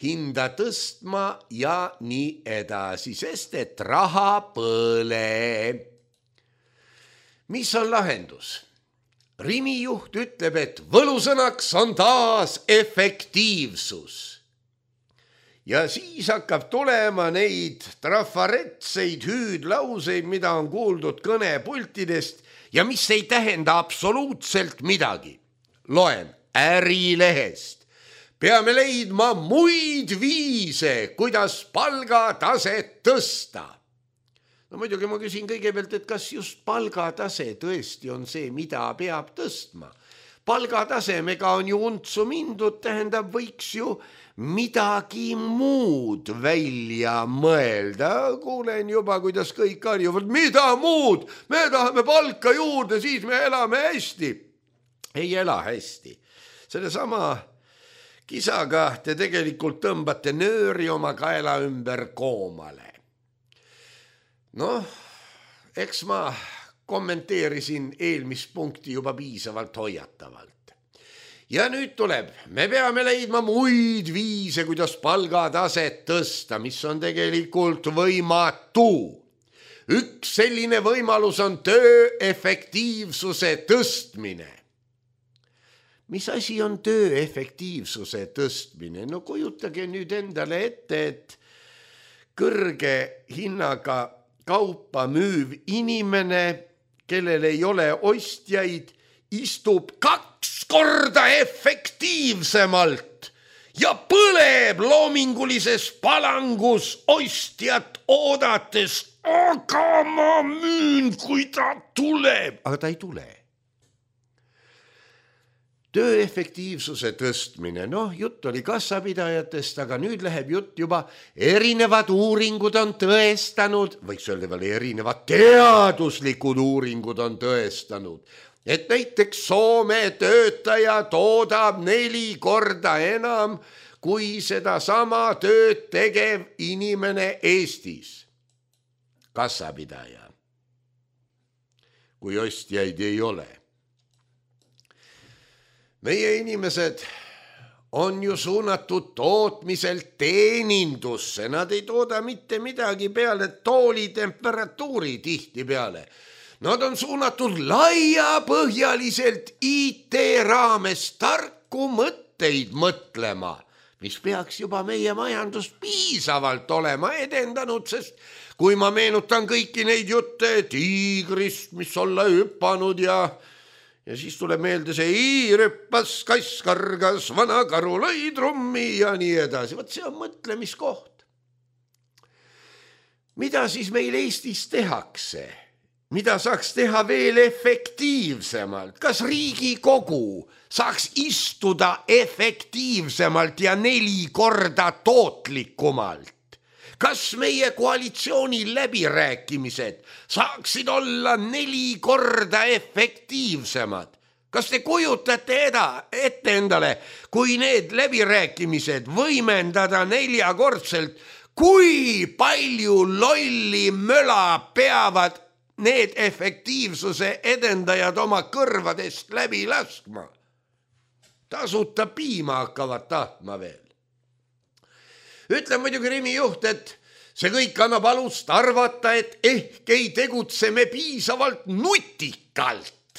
hinda tõstma ja nii edasi, sest et raha põleb. Mis on lahendus? Rimi juht ütleb, et võlusõnaks on taas efektiivsus. Ja siis hakkab tulema neid trafaretseid hüüdlauseid, mida on kuuldud kõnepultidest ja mis ei tähenda absoluutselt midagi. Loen Ärilehest. Peame leidma muid viise, kuidas palgataset tõsta. Muidugi ma küsin kõigepealt, et kas just palgatase tõesti on see, mida peab tõstma. Palgatasemega on ju untsu mindud, tähendab, võiks ju midagi muud välja mõelda. Kuulen juba, kuidas kõik karjuvad, mida muud? Me tahame palka juurde, siis me elame hästi. Ei ela hästi. Sellesama kisaga te tegelikult tõmbate nööri oma kaela ümber koomale. Eks ma kommenteerisin eelmist punkti juba piisavalt hoiatavalt. Ja nüüd tuleb, me peame leidma muid viise, kuidas palgataset tõsta, mis on tegelikult võimatu. Üks selline võimalus on töö efektiivsuse tõstmine. Mis asi on töö efektiivsuse tõstmine? Kujutage nüüd endale ette, et kõrge hinnaga kaupa müüv inimene, kellel ei ole ostjaid, istub 2 korda efektiivsemalt ja põleb loomingulises palangus ostjat oodates. Aga ma müün, kui ta tuleb. Aga ta ei tule. töö efektiivsuse tõstmine, jutt oli kassapidajatest, aga nüüd läheb jutt juba erinevad uuringud on tõestanud, võiks öelda veel erinevad teaduslikud uuringud on tõestanud, et näiteks Soome töötaja toodab 4 korda enam kui sedasama tööd tegev inimene Eestis. Kassapidaja, kui ostjaid ei ole. Meie inimesed on ju suunatud tootmiselt teenindusse, nad ei tooda mitte midagi peale tooli temperatuuri tihti peale. Nad on suunatud laiapõhjaliselt IT raames tarku mõtteid mõtlema, mis peaks juba meie majandust piisavalt olema edendanud, sest kui ma meenutan kõiki neid jutte tiigrist, mis olla hüppanud ja siis tuleb meelde see hiir hüppas, kass kargas, vana karu lõi trummi ja nii edasi. Vot see on mõtlemiskoht. Mida siis meil Eestis tehakse? Mida saaks teha veel efektiivsemalt? Kas Riigikogu saaks istuda efektiivsemalt ja 4 korda tootlikumalt? Kas meie koalitsiooni läbirääkimised saaksid olla 4 korda efektiivsemad? Kas te kujutate ette endale, kui need läbirääkimised võimendada 4-kordselt, kui palju lolli möla peavad need efektiivsuse edendajad oma kõrvadest läbi laskma? Tasuta piima hakkavad tahtma veel. Ütleb muidugi Rimi juht, et see kõik annab alust arvata, et ehk ei tegutse me piisavalt nutikalt.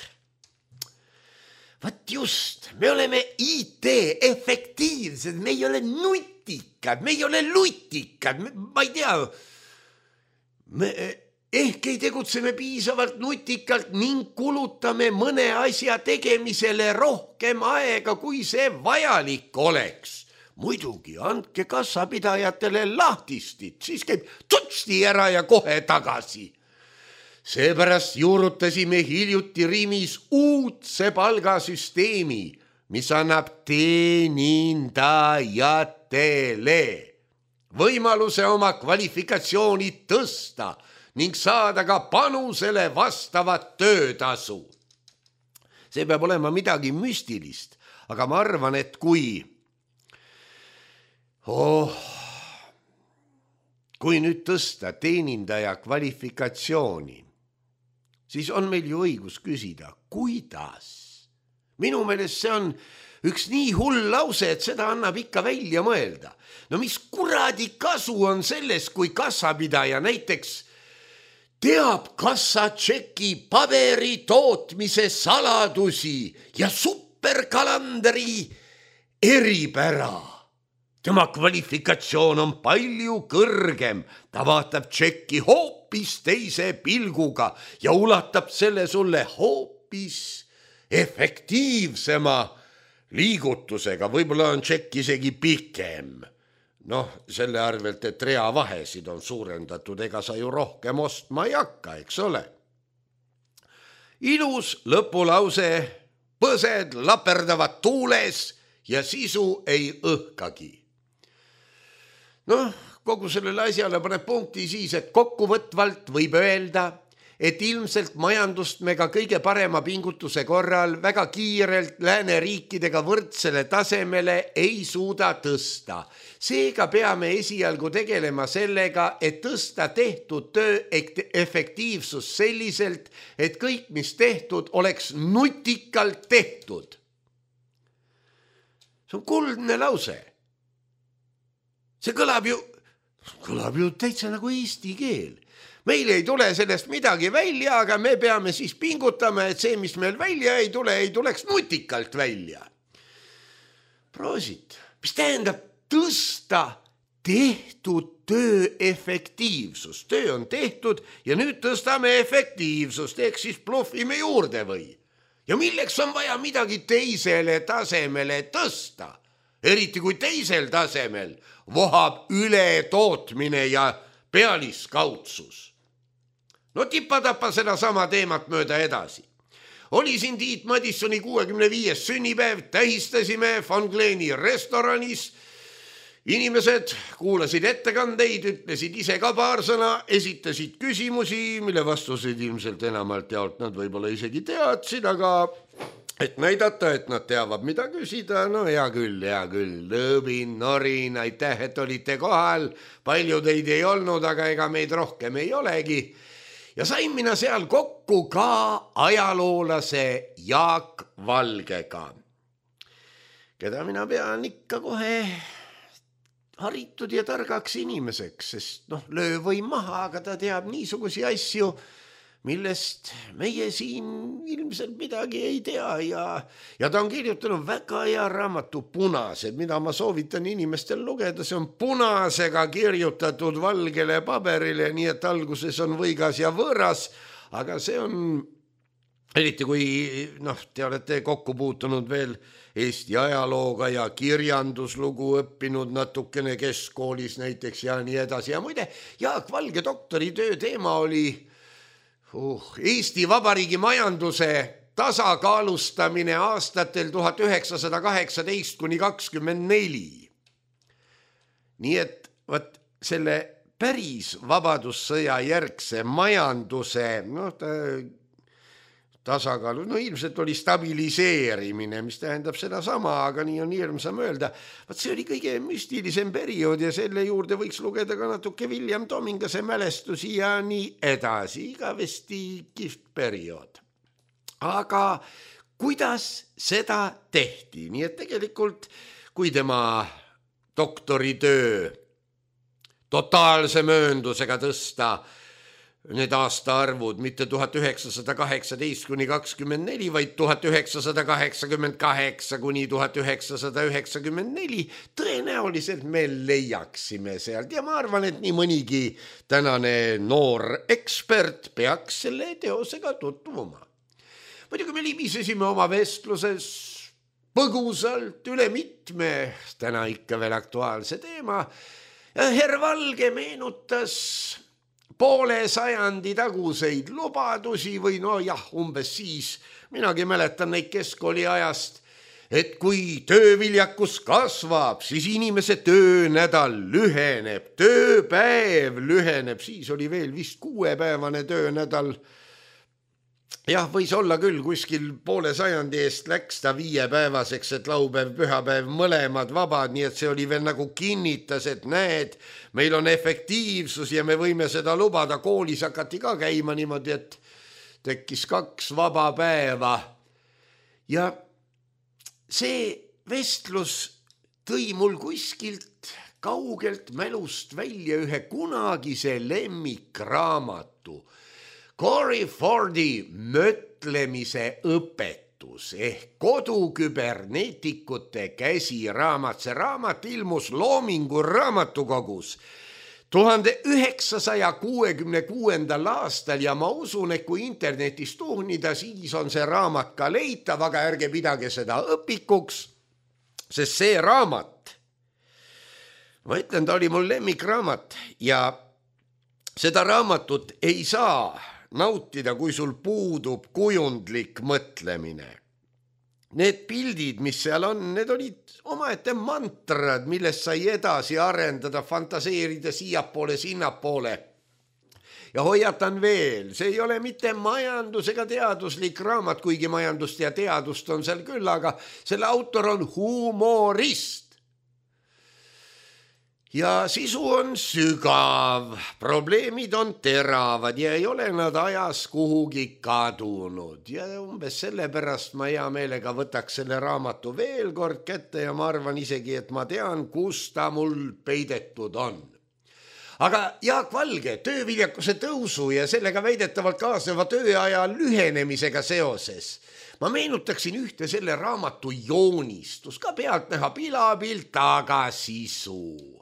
Vaat just, me oleme IT efektiivsed, me ei ole nutikad, me ei ole lutikad, ma ei tea. Ehk ei tegutse me piisavalt nutikalt ning kulutame mõne asja tegemisele rohkem aega, kui see vajalik oleks. Muidugi, andke kassapidajatele lahtistit, siis käib tutsti ära ja kohe tagasi. Seepärast juurutasime hiljuti Rimis uudse palgasüsteemi, mis annab teenindajatele võimaluse oma kvalifikatsiooni tõsta ning saada ka panusele vastavat töötasu. See peab olema midagi müstilist, aga ma arvan, et kui nüüd tõsta teenindaja kvalifikatsiooni, siis on meil ju õigus küsida, kuidas? Minu meelest see on üks nii hull lause, et seda annab ikka välja mõelda. No mis kuradi kasu on selles, kui kassapidaja näiteks teab kassatšeki paberi tootmise saladusi ja superkalandri eripära. Tema kvalifikatsioon on palju kõrgem, ta vaatab tšekki hoopis teise pilguga ja ulatab selle sulle hoopis efektiivsema liigutusega, võib-olla on tšekk isegi pikem. Selle arvelt, et reavahesid on suurendatud, ega sa ju rohkem ostma ei hakka, eks ole. Ilus lõpulause, põsed laperdavad tuules ja sisu ei õhkagi. Kogu sellele asjale paneb punkti siis, et kokkuvõtvalt võib öelda, et ilmselt majandust me ka kõige parema pingutuse korral väga kiirelt lääneriikidega võrdsele tasemele ei suuda tõsta. Seega peame esialgu tegelema sellega, et tõsta tehtud töö efektiivsus selliselt, et kõik, mis tehtud, oleks nutikalt tehtud. See on kuldne lause. See kõlab ju täitsa nagu eesti keel. Meil ei tule sellest midagi välja, aga me peame siis pingutama, et see, mis meil välja ei tuleks nutikalt välja. Proosit, mis tähendab tõsta tehtud töö efektiivsust. Töö on tehtud ja nüüd tõstame efektiivsust, ehk siis bluffime juurde või? Ja milleks on vaja midagi teisele tasemele tõsta? Eriti kui teisel tasemel vohab ületootmine ja pealiskaudsus. Tipatapa seda sama teemat mööda edasi. Oli siin Tiit Madissoni 65. sünnipäev, tähistasime Van Gleeni restoranis. Inimesed kuulasid ettekandeid, ütlesid ise ka paar sõna, esitasid küsimusi, mille vastuseid ilmselt enamalt jaolt nad võib-olla isegi teadsid, aga et näidata, et nad teavad, mida küsida, no hea küll, lõõbin, norin, aitäh, et olite kohal, palju teid ei olnud, aga ega meid rohkem ei olegi. Ja sain mina seal kokku ka ajaloolase Jaak Valgega, keda mina pean ikka kohe haritud ja targaks inimeseks, sest löö või maha, aga ta teab niisugusi asju, millest meie siin ilmselt midagi ei tea ja ta on kirjutanud väga hea raamatu Punased, mida ma soovitan inimestel lugeda, see on punasega kirjutatud valgele paberile, nii et alguses on võigas ja võõras, aga see on, eriti kui te olete kokku puutunud veel Eesti ajalooga ja kirjanduslugu õppinud natukene keskkoolis näiteks ja nii edasi. Ja muide, Jaak Valge doktoritöö teema oli Eesti Vabariigi majanduse tasakaalustamine aastatel 1918 kuni 24. Nii et selle päris vabadussõja järgse majanduse tasakaalu, ilmselt oli stabiliseerimine, mis tähendab seda sama, aga nii on hirmsam öelda. See oli kõige müstilisem periood ja selle juurde võiks lugeda ka natuke William Tomingase mälestusi ja nii edasi, igavesti kihvt periood. Aga kuidas seda tehti? Nii et tegelikult, kui tema doktoritöö totaalse mööndusega tõsta need aastaarvud mitte 1918 kuni 24, vaid 1988 kuni 1994, tõenäoliselt me leiaksime sealt ja ma arvan, et nii mõnigi tänane noor ekspert peaks selle teosega tutvuma. Muidugi me libisesime oma vestluses põgusalt üle mitme täna ikka veel aktuaalse teema ja Herr Valge meenutas poole sajandi taguseid lubadusi või umbes siis, minagi mäletan neid keskkooli ajast, et kui tööviljakus kasvab, siis inimese töönädal lüheneb, tööpäev lüheneb, siis oli veel vist 6-päevane töönädal. Jah, võis olla küll, kuskil poole sajandi eest läks ta 5-päevaseks, et laupäev, pühapäev mõlemad vabad, nii et see oli veel nagu kinnitas, et näed, meil on efektiivsus ja me võime seda lubada. Koolis hakati ka käima niimoodi, et tekkis 2 vaba päeva. Ja see vestlus tõi mul kuskilt kaugelt mälust välja ühe kunagise lemmikraamatu, Cory Fordi mõtlemise õpetus ehk koduküberneetikute käsiraamat. See raamat ilmus Loomingu raamatukogus 1966. aastal ja ma usun, et kui internetis tuhnida, siis on see raamat ka leitav, aga ärge pidage seda õpikuks, sest see raamat, ma ütlen, ta oli mul lemmikraamat ja seda raamatut ei saa nautida, kui sul puudub kujundlik mõtlemine. Need pildid, mis seal on, need olid omaette mantrad, millest sai edasi arendada, fantaseerida siiapoole, sinnapoole. Ja hoiatan veel, see ei ole mitte majandus ega teaduslik raamat, kuigi majandust ja teadust on seal küll, aga selle autor on humorist. Ja sisu on sügav, probleemid on teravad ja ei ole nad ajas kuhugi kadunud. Ja umbes sellepärast ma hea meelega võtaks selle raamatu veel kord kätte ja ma arvan isegi, et ma tean, kus ta mul peidetud on. Aga Jaak Valge tööviljakuse tõusu ja sellega väidetavalt kaasneva tööaja lühenemisega seoses ma meenutaksin ühte selle raamatu joonistus, ka pealtnäha pilapilt, aga sisu.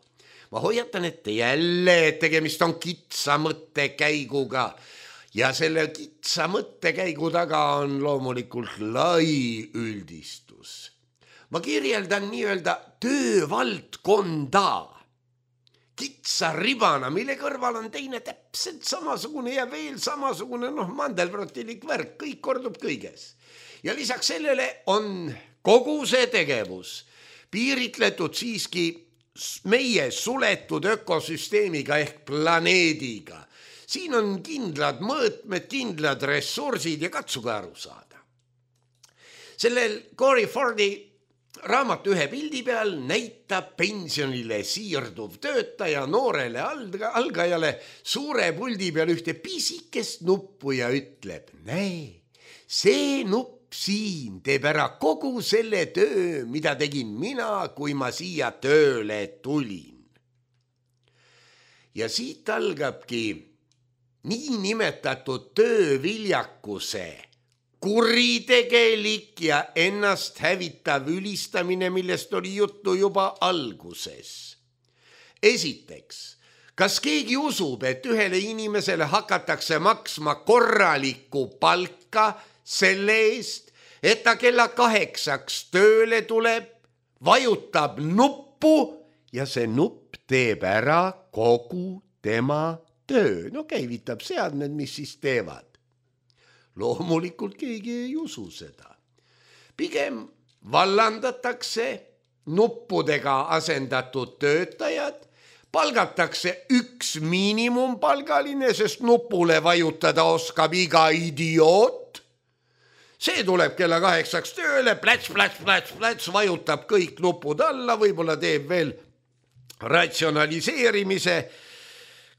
Ma hoiatan ette jälle, et tegemist on kitsa mõttekäiguga ja selle kitsa mõttekäigu taga on loomulikult lai üldistus. Ma kirjeldan nii-öelda töövaldkonda, kitsa ribana, mille kõrval on teine täpselt samasugune ja veel samasugune, mandelbrottilik värk, kõik kordub kõiges. Ja lisaks sellele on kogu see tegevus piiritletud siiski meie suletud ökosüsteemiga ehk planeediga. Siin on kindlad mõõtmed, kindlad ressursid ja katsuge aru saada. Sellel Corey Fordi raamatu ühe pildi peal näitab pensionile siirduv töötaja noorele algajale suure puldi peal ühte pisikest nuppu ja ütleb, näe, see nupp siin teeb ära kogu selle töö, mida tegin mina, kui ma siia tööle tulin. Ja siit algabki niinimetatud tööviljakuse kuritegelik ja ennast hävitav ülistamine, millest oli juttu juba alguses. Esiteks, kas keegi usub, et ühele inimesele hakatakse maksma korralikku palka selle eest, et ta kella 8 tööle tuleb, vajutab nuppu ja see nupp teeb ära kogu tema töö? No käivitab seadmed, mis siis teevad. Loomulikult keegi ei usu seda. Pigem vallandatakse nuppudega asendatud töötajad, palgatakse üks miinimumpalgaline, sest nupule vajutada oskab iga idioot. See tuleb kella 8 tööle, plats, vajutab kõik nupud alla, võib-olla teeb veel ratsionaliseerimise,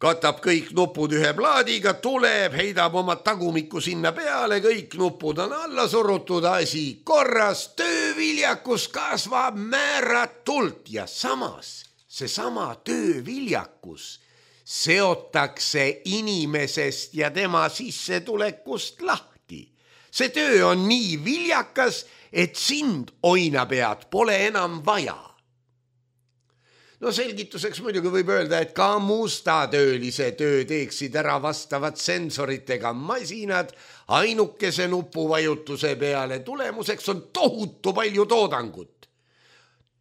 katab kõik nupud ühe plaadiga, tuleb, heidab oma tagumikku sinna peale, kõik nupud on alla surutud, asi korras, tööviljakus kasvab määratult ja samas seesama tööviljakus seotakse inimesest ja tema sissetulekust lahti. See töö on nii viljakas, et sind, oinapead, pole enam vaja. No selgituseks muidugi võib öelda, et ka mustatöölise töö teeksid ära vastavad sensoritega masinad ainukese nupuvajutuse peale. Tulemuseks on tohutu palju toodangut,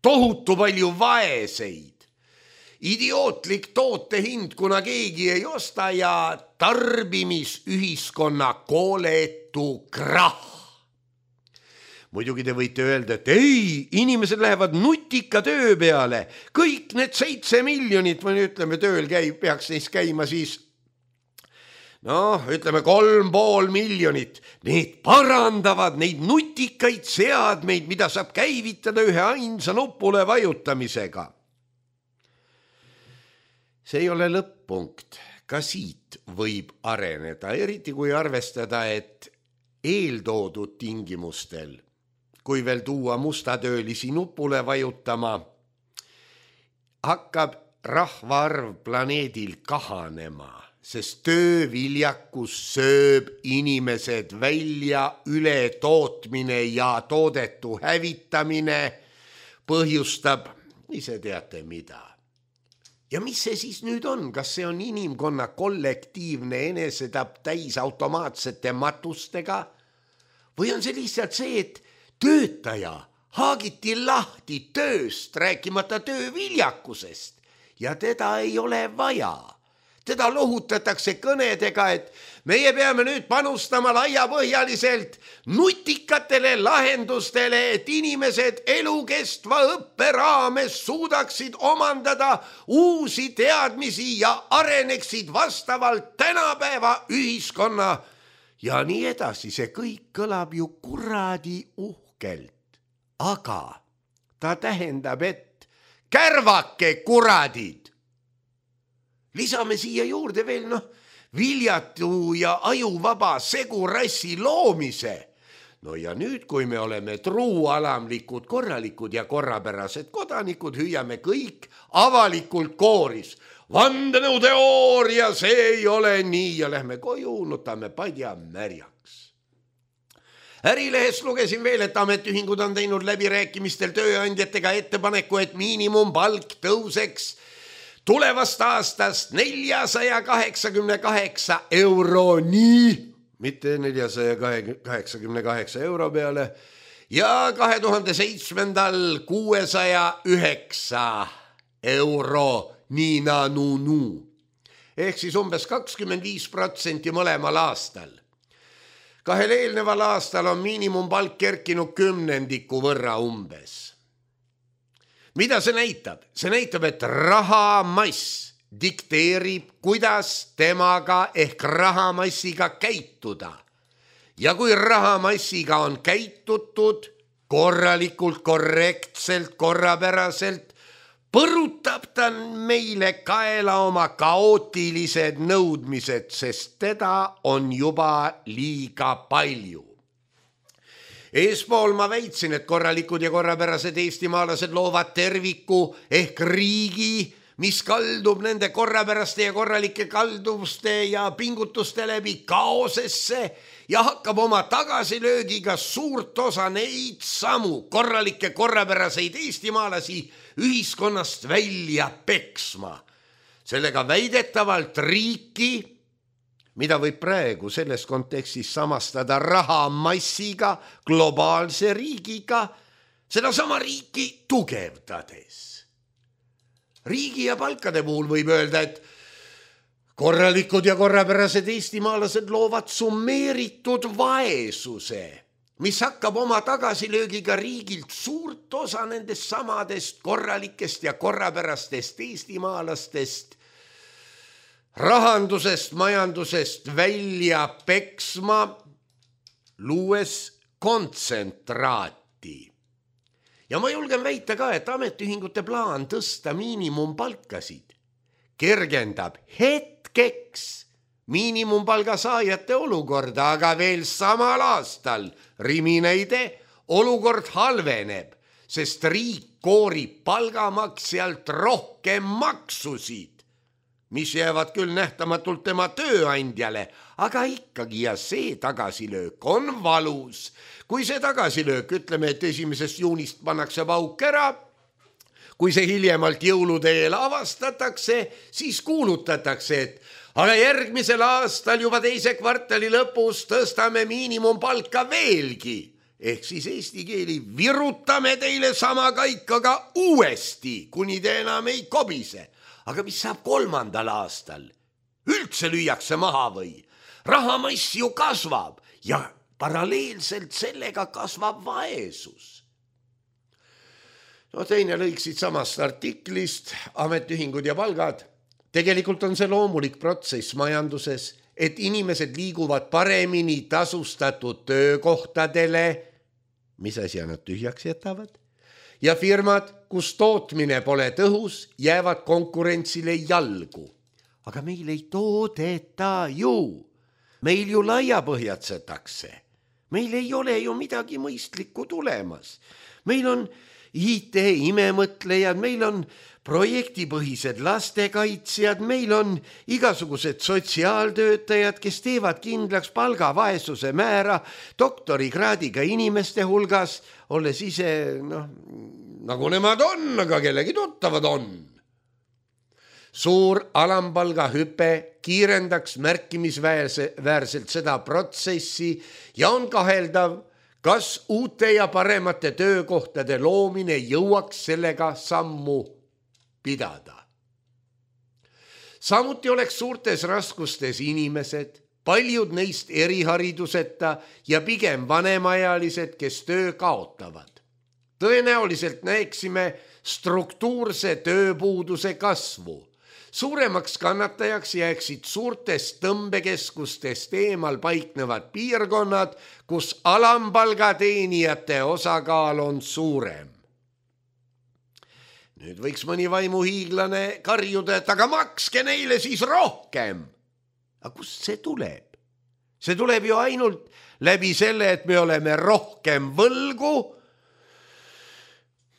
tohutu palju vaeseid, idiootlik toote hind, kuna keegi ei osta ja tarbimisühiskonna kooletu krahh. Muidugi te võite öelda, et ei, inimesed lähevad nutika töö peale. Kõik need 7 miljonit, või ütleme, tööl peaks neist käima siis, 3,5 miljonit. Need parandavad neid nutikaid seadmeid, mida saab käivitada ühe ainsa nupule vajutamisega. See ei ole lõpp-punkt. Ka siit võib areneda, eriti kui arvestada, et eeltoodud tingimustel, kui veel tuua mustatöölisi nupule vajutama, hakkab rahvaarv planeedil kahanema, sest tööviljakus sööb inimesed välja, ületootmine ja toodetu hävitamine põhjustab, ise teate mida. Ja mis see siis nüüd on? Kas see on inimkonna kollektiivne enesetapp täis automaatsete matustega? Või on see lihtsalt see, et töötaja haagiti lahti tööst, rääkimata tööviljakusest ja teda ei ole vaja. Teda lohutatakse kõnedega, et meie peame nüüd panustama laiapõhjaliselt nutikatele lahendustele, et inimesed elukestva õppe raames suudaksid omandada uusi teadmisi ja areneksid vastavalt tänapäeva ühiskonna ja nii edasi. See kõik kõlab ju kuradi uhkelt, aga ta tähendab, et kärvake kuradid. Lisame siia juurde veel viljatu ja ajuvaba segurassi loomise. No ja nüüd, kui me oleme truualamlikud, korralikud ja korrapärased kodanikud, hüüame kõik avalikult kooris. Vandenõuteooria, see ei ole nii ja lähme koju, nutame padja märjaks. Ärilehest lugesin veel, et ametiühingud on teinud läbirääkimistel tööandjatega ettepaneku, et miinimumpalk tõuseks tulevast aastast 488 euroni, mitte 488 euro peale, ja 2007. 609 euro Nina-nu-nu. Ehk siis umbes 25% mõlemal aastal. Kahel eelneval aastal on miinimumpalk kerkinud 10% võrra umbes. Mida see näitab? See näitab, et rahamass dikteerib, kuidas temaga ehk rahamassiga käituda. Ja kui rahamassiga on käitutud korralikult, korrektselt, korrapäraselt, põrutab ta meile kaela oma kaootilised nõudmised, sest teda on juba liiga palju. Eespool ma väitsin, et korralikud ja korrapärased eestimaalased loovad terviku ehk riigi, mis kaldub nende korrapäraste ja korralike kalduvuste ja pingutuste läbi kaosesse ja hakkab oma tagasilöögiga suurt osa neid samu korralikke korrapäraseid eestimaalasi ühiskonnast välja peksma. Sellega väidetavalt riiki, mida võib praegu selles kontekstis samastada rahamassiga, globaalse riigiga, seda sama riiki tugevdades. Riigi ja palkade puhul võib öelda, et korralikud ja korrapärased eestimaalased loovad summeeritud vaesuse, mis hakkab oma tagasilöögiga riigilt suurt osa nendest samadest korralikest ja korrapärastest eestimaalastest rahandusest, majandusest välja peksma, luues kontsentraati. Ja ma julgen väita ka, et ametiühingute plaan tõsta miinimumpalkasid kergendab hetkeks miinimumpalga saajate olukorda, aga veel samal aastal, riminäide, olukord halveneb, sest riik koorib palgamaksjalt rohkem maksusid, mis jäävad küll nähtamatult tema tööandjale, aga ikkagi ja see tagasilöök on valus. Kui see tagasilöök, ütleme, et 1. juunist pannakse pauk ära, kui see hiljemalt jõulude eel avastatakse, siis kuulutatakse, et aga järgmisel aastal juba 2. kvartali lõpus tõstame miinimumpalka veelgi. Ehk siis eesti keeli virutame teile sama kaikaga uuesti, kuni te enam ei kobise. Aga mis saab 3. aastal? Üldse lüüakse maha või? Rahamass ju kasvab ja paralleelselt sellega kasvab vaesus. No teine lõik siit samast artiklist, ametiühingud ja palgad. Tegelikult on see loomulik protsess majanduses, et inimesed liiguvad paremini tasustatud töökohtadele, mis asja nad tühjaks jätavad, ja firmad, kus tootmine pole tõhus, jäävad konkurentsile jalgu. Aga meil ei toodeta ju. Meil ju laiapõhjatsetakse. Meil ei ole ju midagi mõistlikku tulemas. Meil on IT-imemõtlejad, meil on projektipõhised lastekaitsjad, meil on igasugused sotsiaaltöötajad, kes teevad kindlaks palgavaesuse määra doktorikraadiga inimeste hulgas, olles ise, nagu nemad on, aga kellegi tuttavad on. Suur alampalga hüpe kiirendaks märkimisväärselt seda protsessi ja on kaheldav, kas uute ja paremate töökohtade loomine jõuaks sellega sammu pidada. Samuti oleks suurtes raskustes inimesed, paljud neist erihariduseta ja pigem vanemaealised, kes töö kaotavad. Tõenäoliselt näeksime struktuurse tööpuuduse kasvu. Suuremaks kannatajaks jääksid suurtest tõmbekeskustest eemal paiknevad piirkonnad, kus alampalga teenijate osakaal on suurem. Nüüd võiks mõni vaimuhiiglane karjuda, et aga makske neile siis rohkem. Aga kust see tuleb? See tuleb ju ainult läbi selle, et me oleme rohkem võlgu.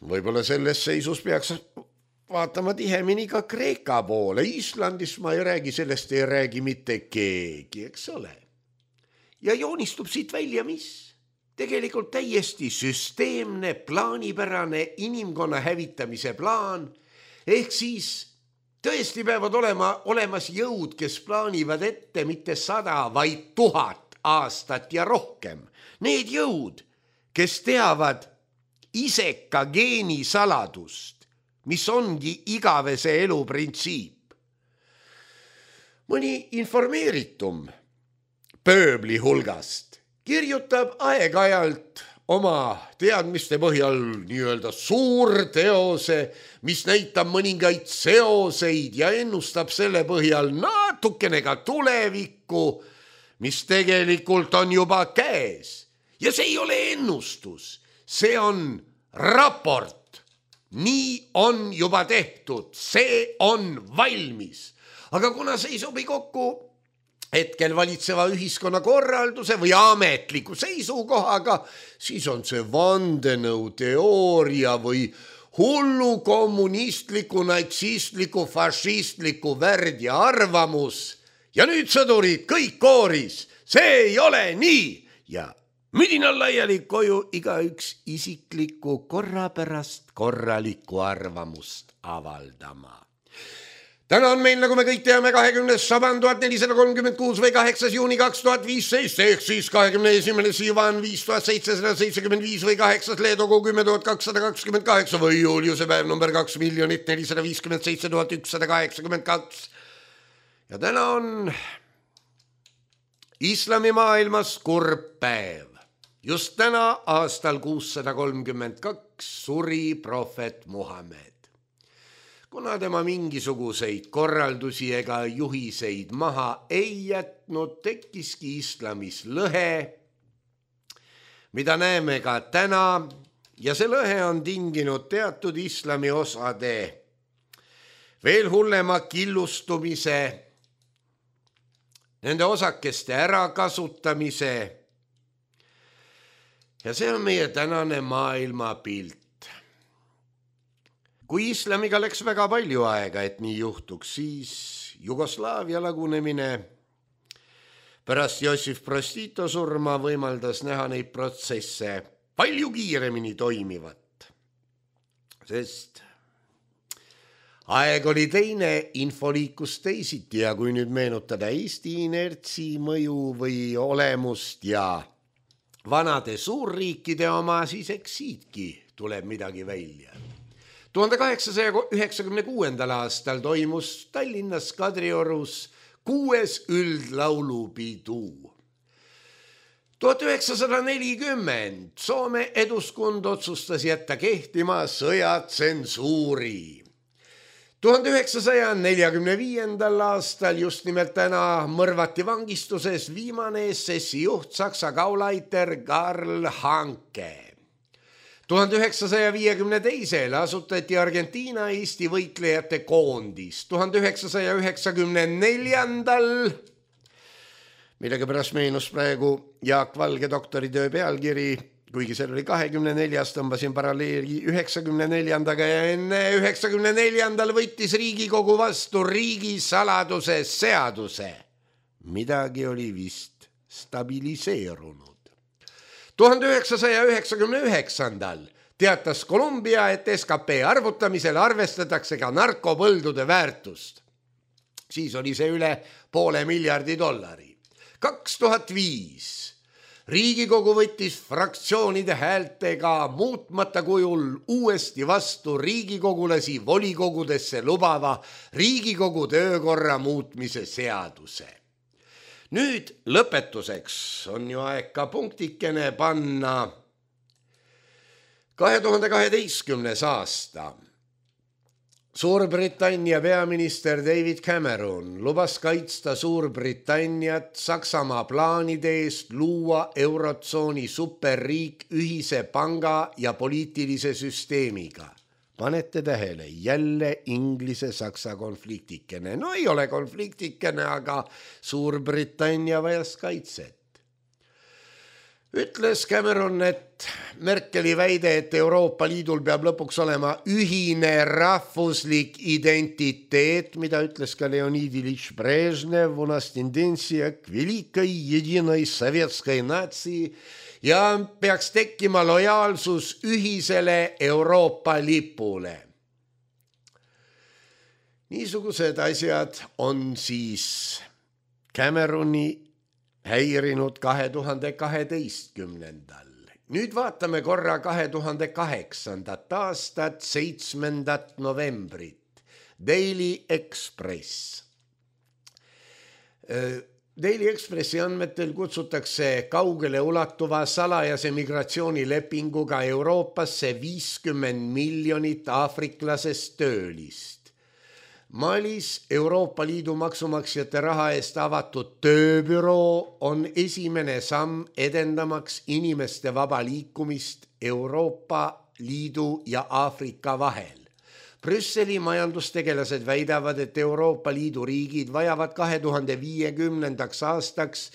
Võib-olla selles seisus peaks vaatama tihemini ka Kreeka poole. Islandis ma ei räägi, sellest ei räägi mitte keegi, eks ole. Ja joonistub siit välja mis? Tegelikult täiesti süsteemne, plaanipärane inimkonna hävitamise plaan. Ehk siis tõesti peavad olemas jõud, kes plaanivad ette mitte 100, vaid 1000 aastat ja rohkem. Need jõud, kes teavad iseka geeni saladust, mis ongi igavese elu printsiip. Mõni informeeritum pööbli hulgast kirjutab aeg-ajalt oma teadmiste põhjal nii-öelda suurteose, mis näitab mõningaid seoseid ja ennustab selle põhjal natukene ka tulevikku, mis tegelikult on juba käes. Ja see ei ole ennustus, see on raport. Nii on juba tehtud, see on valmis. Aga kuna see ei sobi kokku hetkel valitseva ühiskonna korralduse või ametliku seisukohaga, siis on see vandenõuteooria või hullu kommunistliku, natsistliku, fašistliku värd ja arvamus. Ja nüüd sõdurid kõik kooris, see ei ole nii ja müdinal laiali koju igaüks isikliku korra pärast korralikku arvamust avaldama. Täna on meil, nagu me kõik teame, 20. saban 1436 või 8. juuni 2015, ehk siis 21. Sivan 5775 või 8. Leedogu 10.228 või Juliuse päev number 2,457,182. Ja täna on islamimaailmas kurb päev. Just täna aastal 632 suri prohvet Muhamed. Kuna tema mingisuguseid korraldusi ega juhiseid maha ei jätnud, tekkiski islamis lõhe, mida näeme ka täna, ja see lõhe on tinginud teatud islami osade veel hullema killustumise, nende osakeste ärakasutamise, ja see on meie tänane maailmapilt. Kui islamiga läks väga palju aega, et nii juhtuks, siis Jugoslaavia lagunemine pärast Jossif Broz Tito surma võimaldas näha neid protsesse palju kiiremini toimivat. Sest aeg oli teine, info liikus teisiti ja kui nüüd meenutada Eesti inertsi mõju või olemust ja vanade suurriikide oma, siis eks siitki tuleb midagi välja. 1896. aastal toimus Tallinnas Kadriorus 6. üldlaulupidu. 1940 Soome Eduskund otsustas jätta kehtima sõjatsensuuri. 1945. aastal just nimelt täna mõrvati vangistuses viimane SS-i juht Saksa Gauleiter Karl Hanke. 1952. asutati Argentiina Eesti võitlejate koondis. 1994. millega pärast meenus praegu Jaak Valge doktoritöö pealkiri, kuigi seal oli 24, tõmbasin paralleeli 94-ga ja enne 94. võttis Riigikogu vastu riigisaladuse seaduse. Midagi oli vist stabiliseerunud. 1999. teatas Kolumbia, et SKP arvutamisel arvestatakse ka narkopõldude väärtust. Siis oli see üle $500 miljardi. 2005. Riigikogu võttis fraktsioonide häältega muutmata kujul uuesti vastu riigikogulasi volikogudesse lubava Riigikogu töökorra muutmise seaduse. Nüüd lõpetuseks on ju aeg ka punktikene panna 2012. aasta. Suurbritannia peaminister David Cameron lubas kaitsta Suurbritanniat Saksamaa plaanide eest luua eurotsooni superriik ühise panga ja poliitilise süsteemiga. Panete tähele, jälle Inglise-Saksa konfliktikene. No ei ole konfliktikene, aga Suurbritannia vajas kaitset. Ütles Cameron, et Merkeli väide, et Euroopa Liidul peab lõpuks olema ühine rahvuslik identiteet, mida ütles ka Leonid Ilyich Brežnev, у нас тенденция к великой единой советской нации ja peaks tekkima lojaalsus ühisele Euroopa lipule. Niisugused asjad on siis Cameroni häirinud 2012. Nüüd vaatame korra 2008. aastat 7. novembrit. Daily Express. Daily Expressi andmetel kutsutakse kaugele ulatuva salajase migratsioonilepinguga Euroopasse 50 miljonit aafriklasest töölist. Malis Euroopa Liidu maksumaksjate raha eest avatud tööbüroo on esimene samm edendamaks inimeste vaba liikumist Euroopa Liidu ja Aafrika vahel. Brüsseli majandustegelased väidavad, et Euroopa Liidu riigid vajavad 2050. aastaks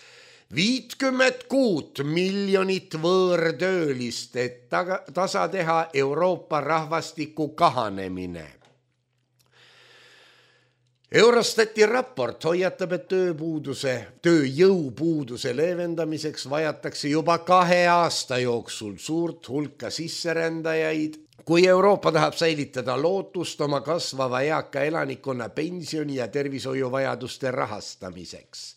56 miljonit võõrtöölist, et tasa teha Euroopa rahvastiku kahanemine. Eurostati raport hoiatab, et tööjõupuuduse leevendamiseks vajatakse juba 2 aasta jooksul suurt hulka sisserändajaid, kui Euroopa tahab säilitada lootust oma kasvava eaka elanikkonna pensioni ja tervishoiuvajaduste rahastamiseks.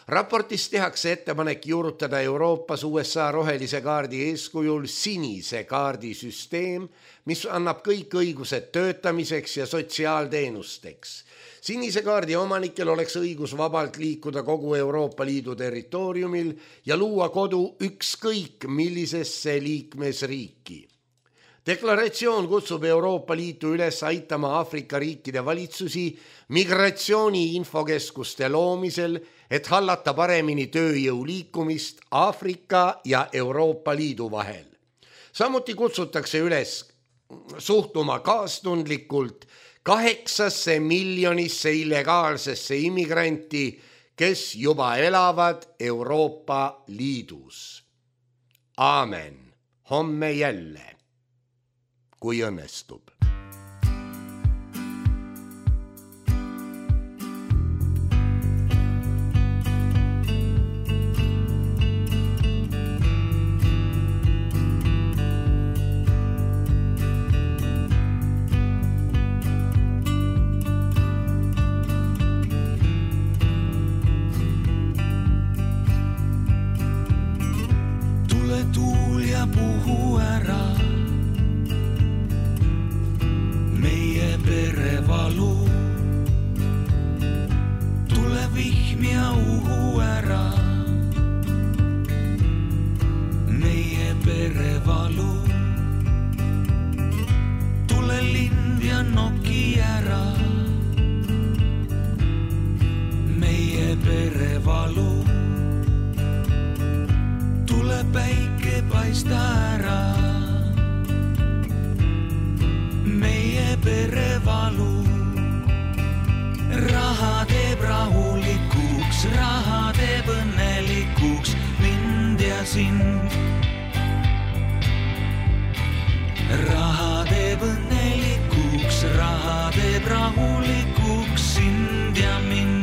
Raportis tehakse ettepanek juurutada Euroopas USA rohelise kaardi eeskujul sinise kaardi süsteem, mis annab kõik õigused töötamiseks ja sotsiaalteenusteks. Sinise kaardi omanikel oleks õigus vabalt liikuda kogu Euroopa Liidu territooriumil ja luua kodu ükskõik millisesse liikmesriiki. Deklaratsioon kutsub Euroopa Liitu üles aitama Aafrika riikide valitsusi migratsiooni infokeskuste loomisel, et hallata paremini tööjõu liikumist Aafrika ja Euroopa Liidu vahel. Samuti kutsutakse üles suhtuma kaastundlikult 8 miljonisse illegaalsesse immigranti, kes juba elavad Euroopa Liidus. Aamen. Homme jälle, kui õnnestub. Tuul ja puhu ära meie perevalu. Tule vihm ja uhu ära meie perevalu. Tule lind ja noki ära meie perevalu. Tule päike paista ära meie perevalu. Raha teeb rahulikuks, raha teeb õnnelikuks mind ja sind. Raha teeb õnnelikuks, raha teeb rahulikuks sind ja mind.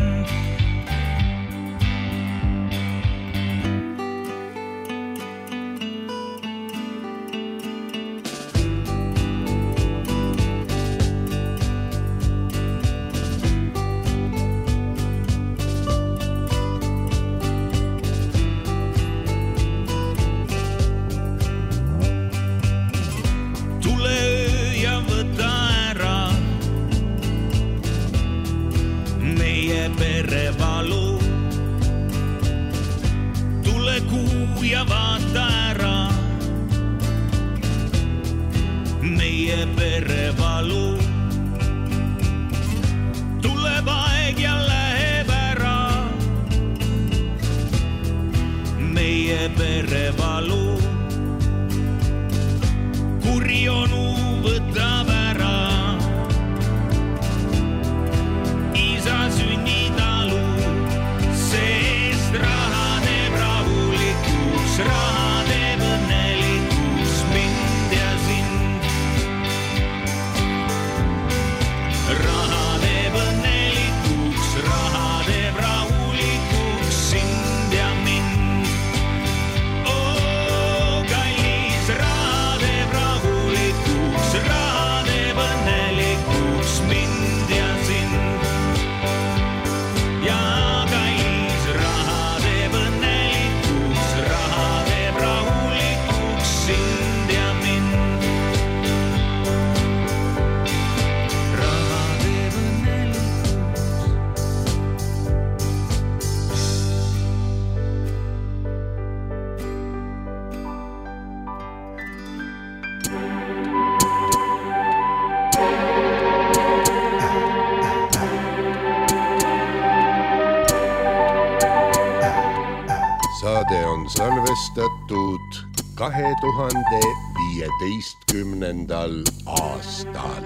Perevalu. Tule kuu ja vaata ära meie perevalu. Tuleb aeg ja läheb ära meie perevalu. Kuri onu võtab ära isa sünnitalu, sest raha teeb rahulikuks, raha teeb õnnelikuks mind ja sind. saade on salvestatud 2015. aastal.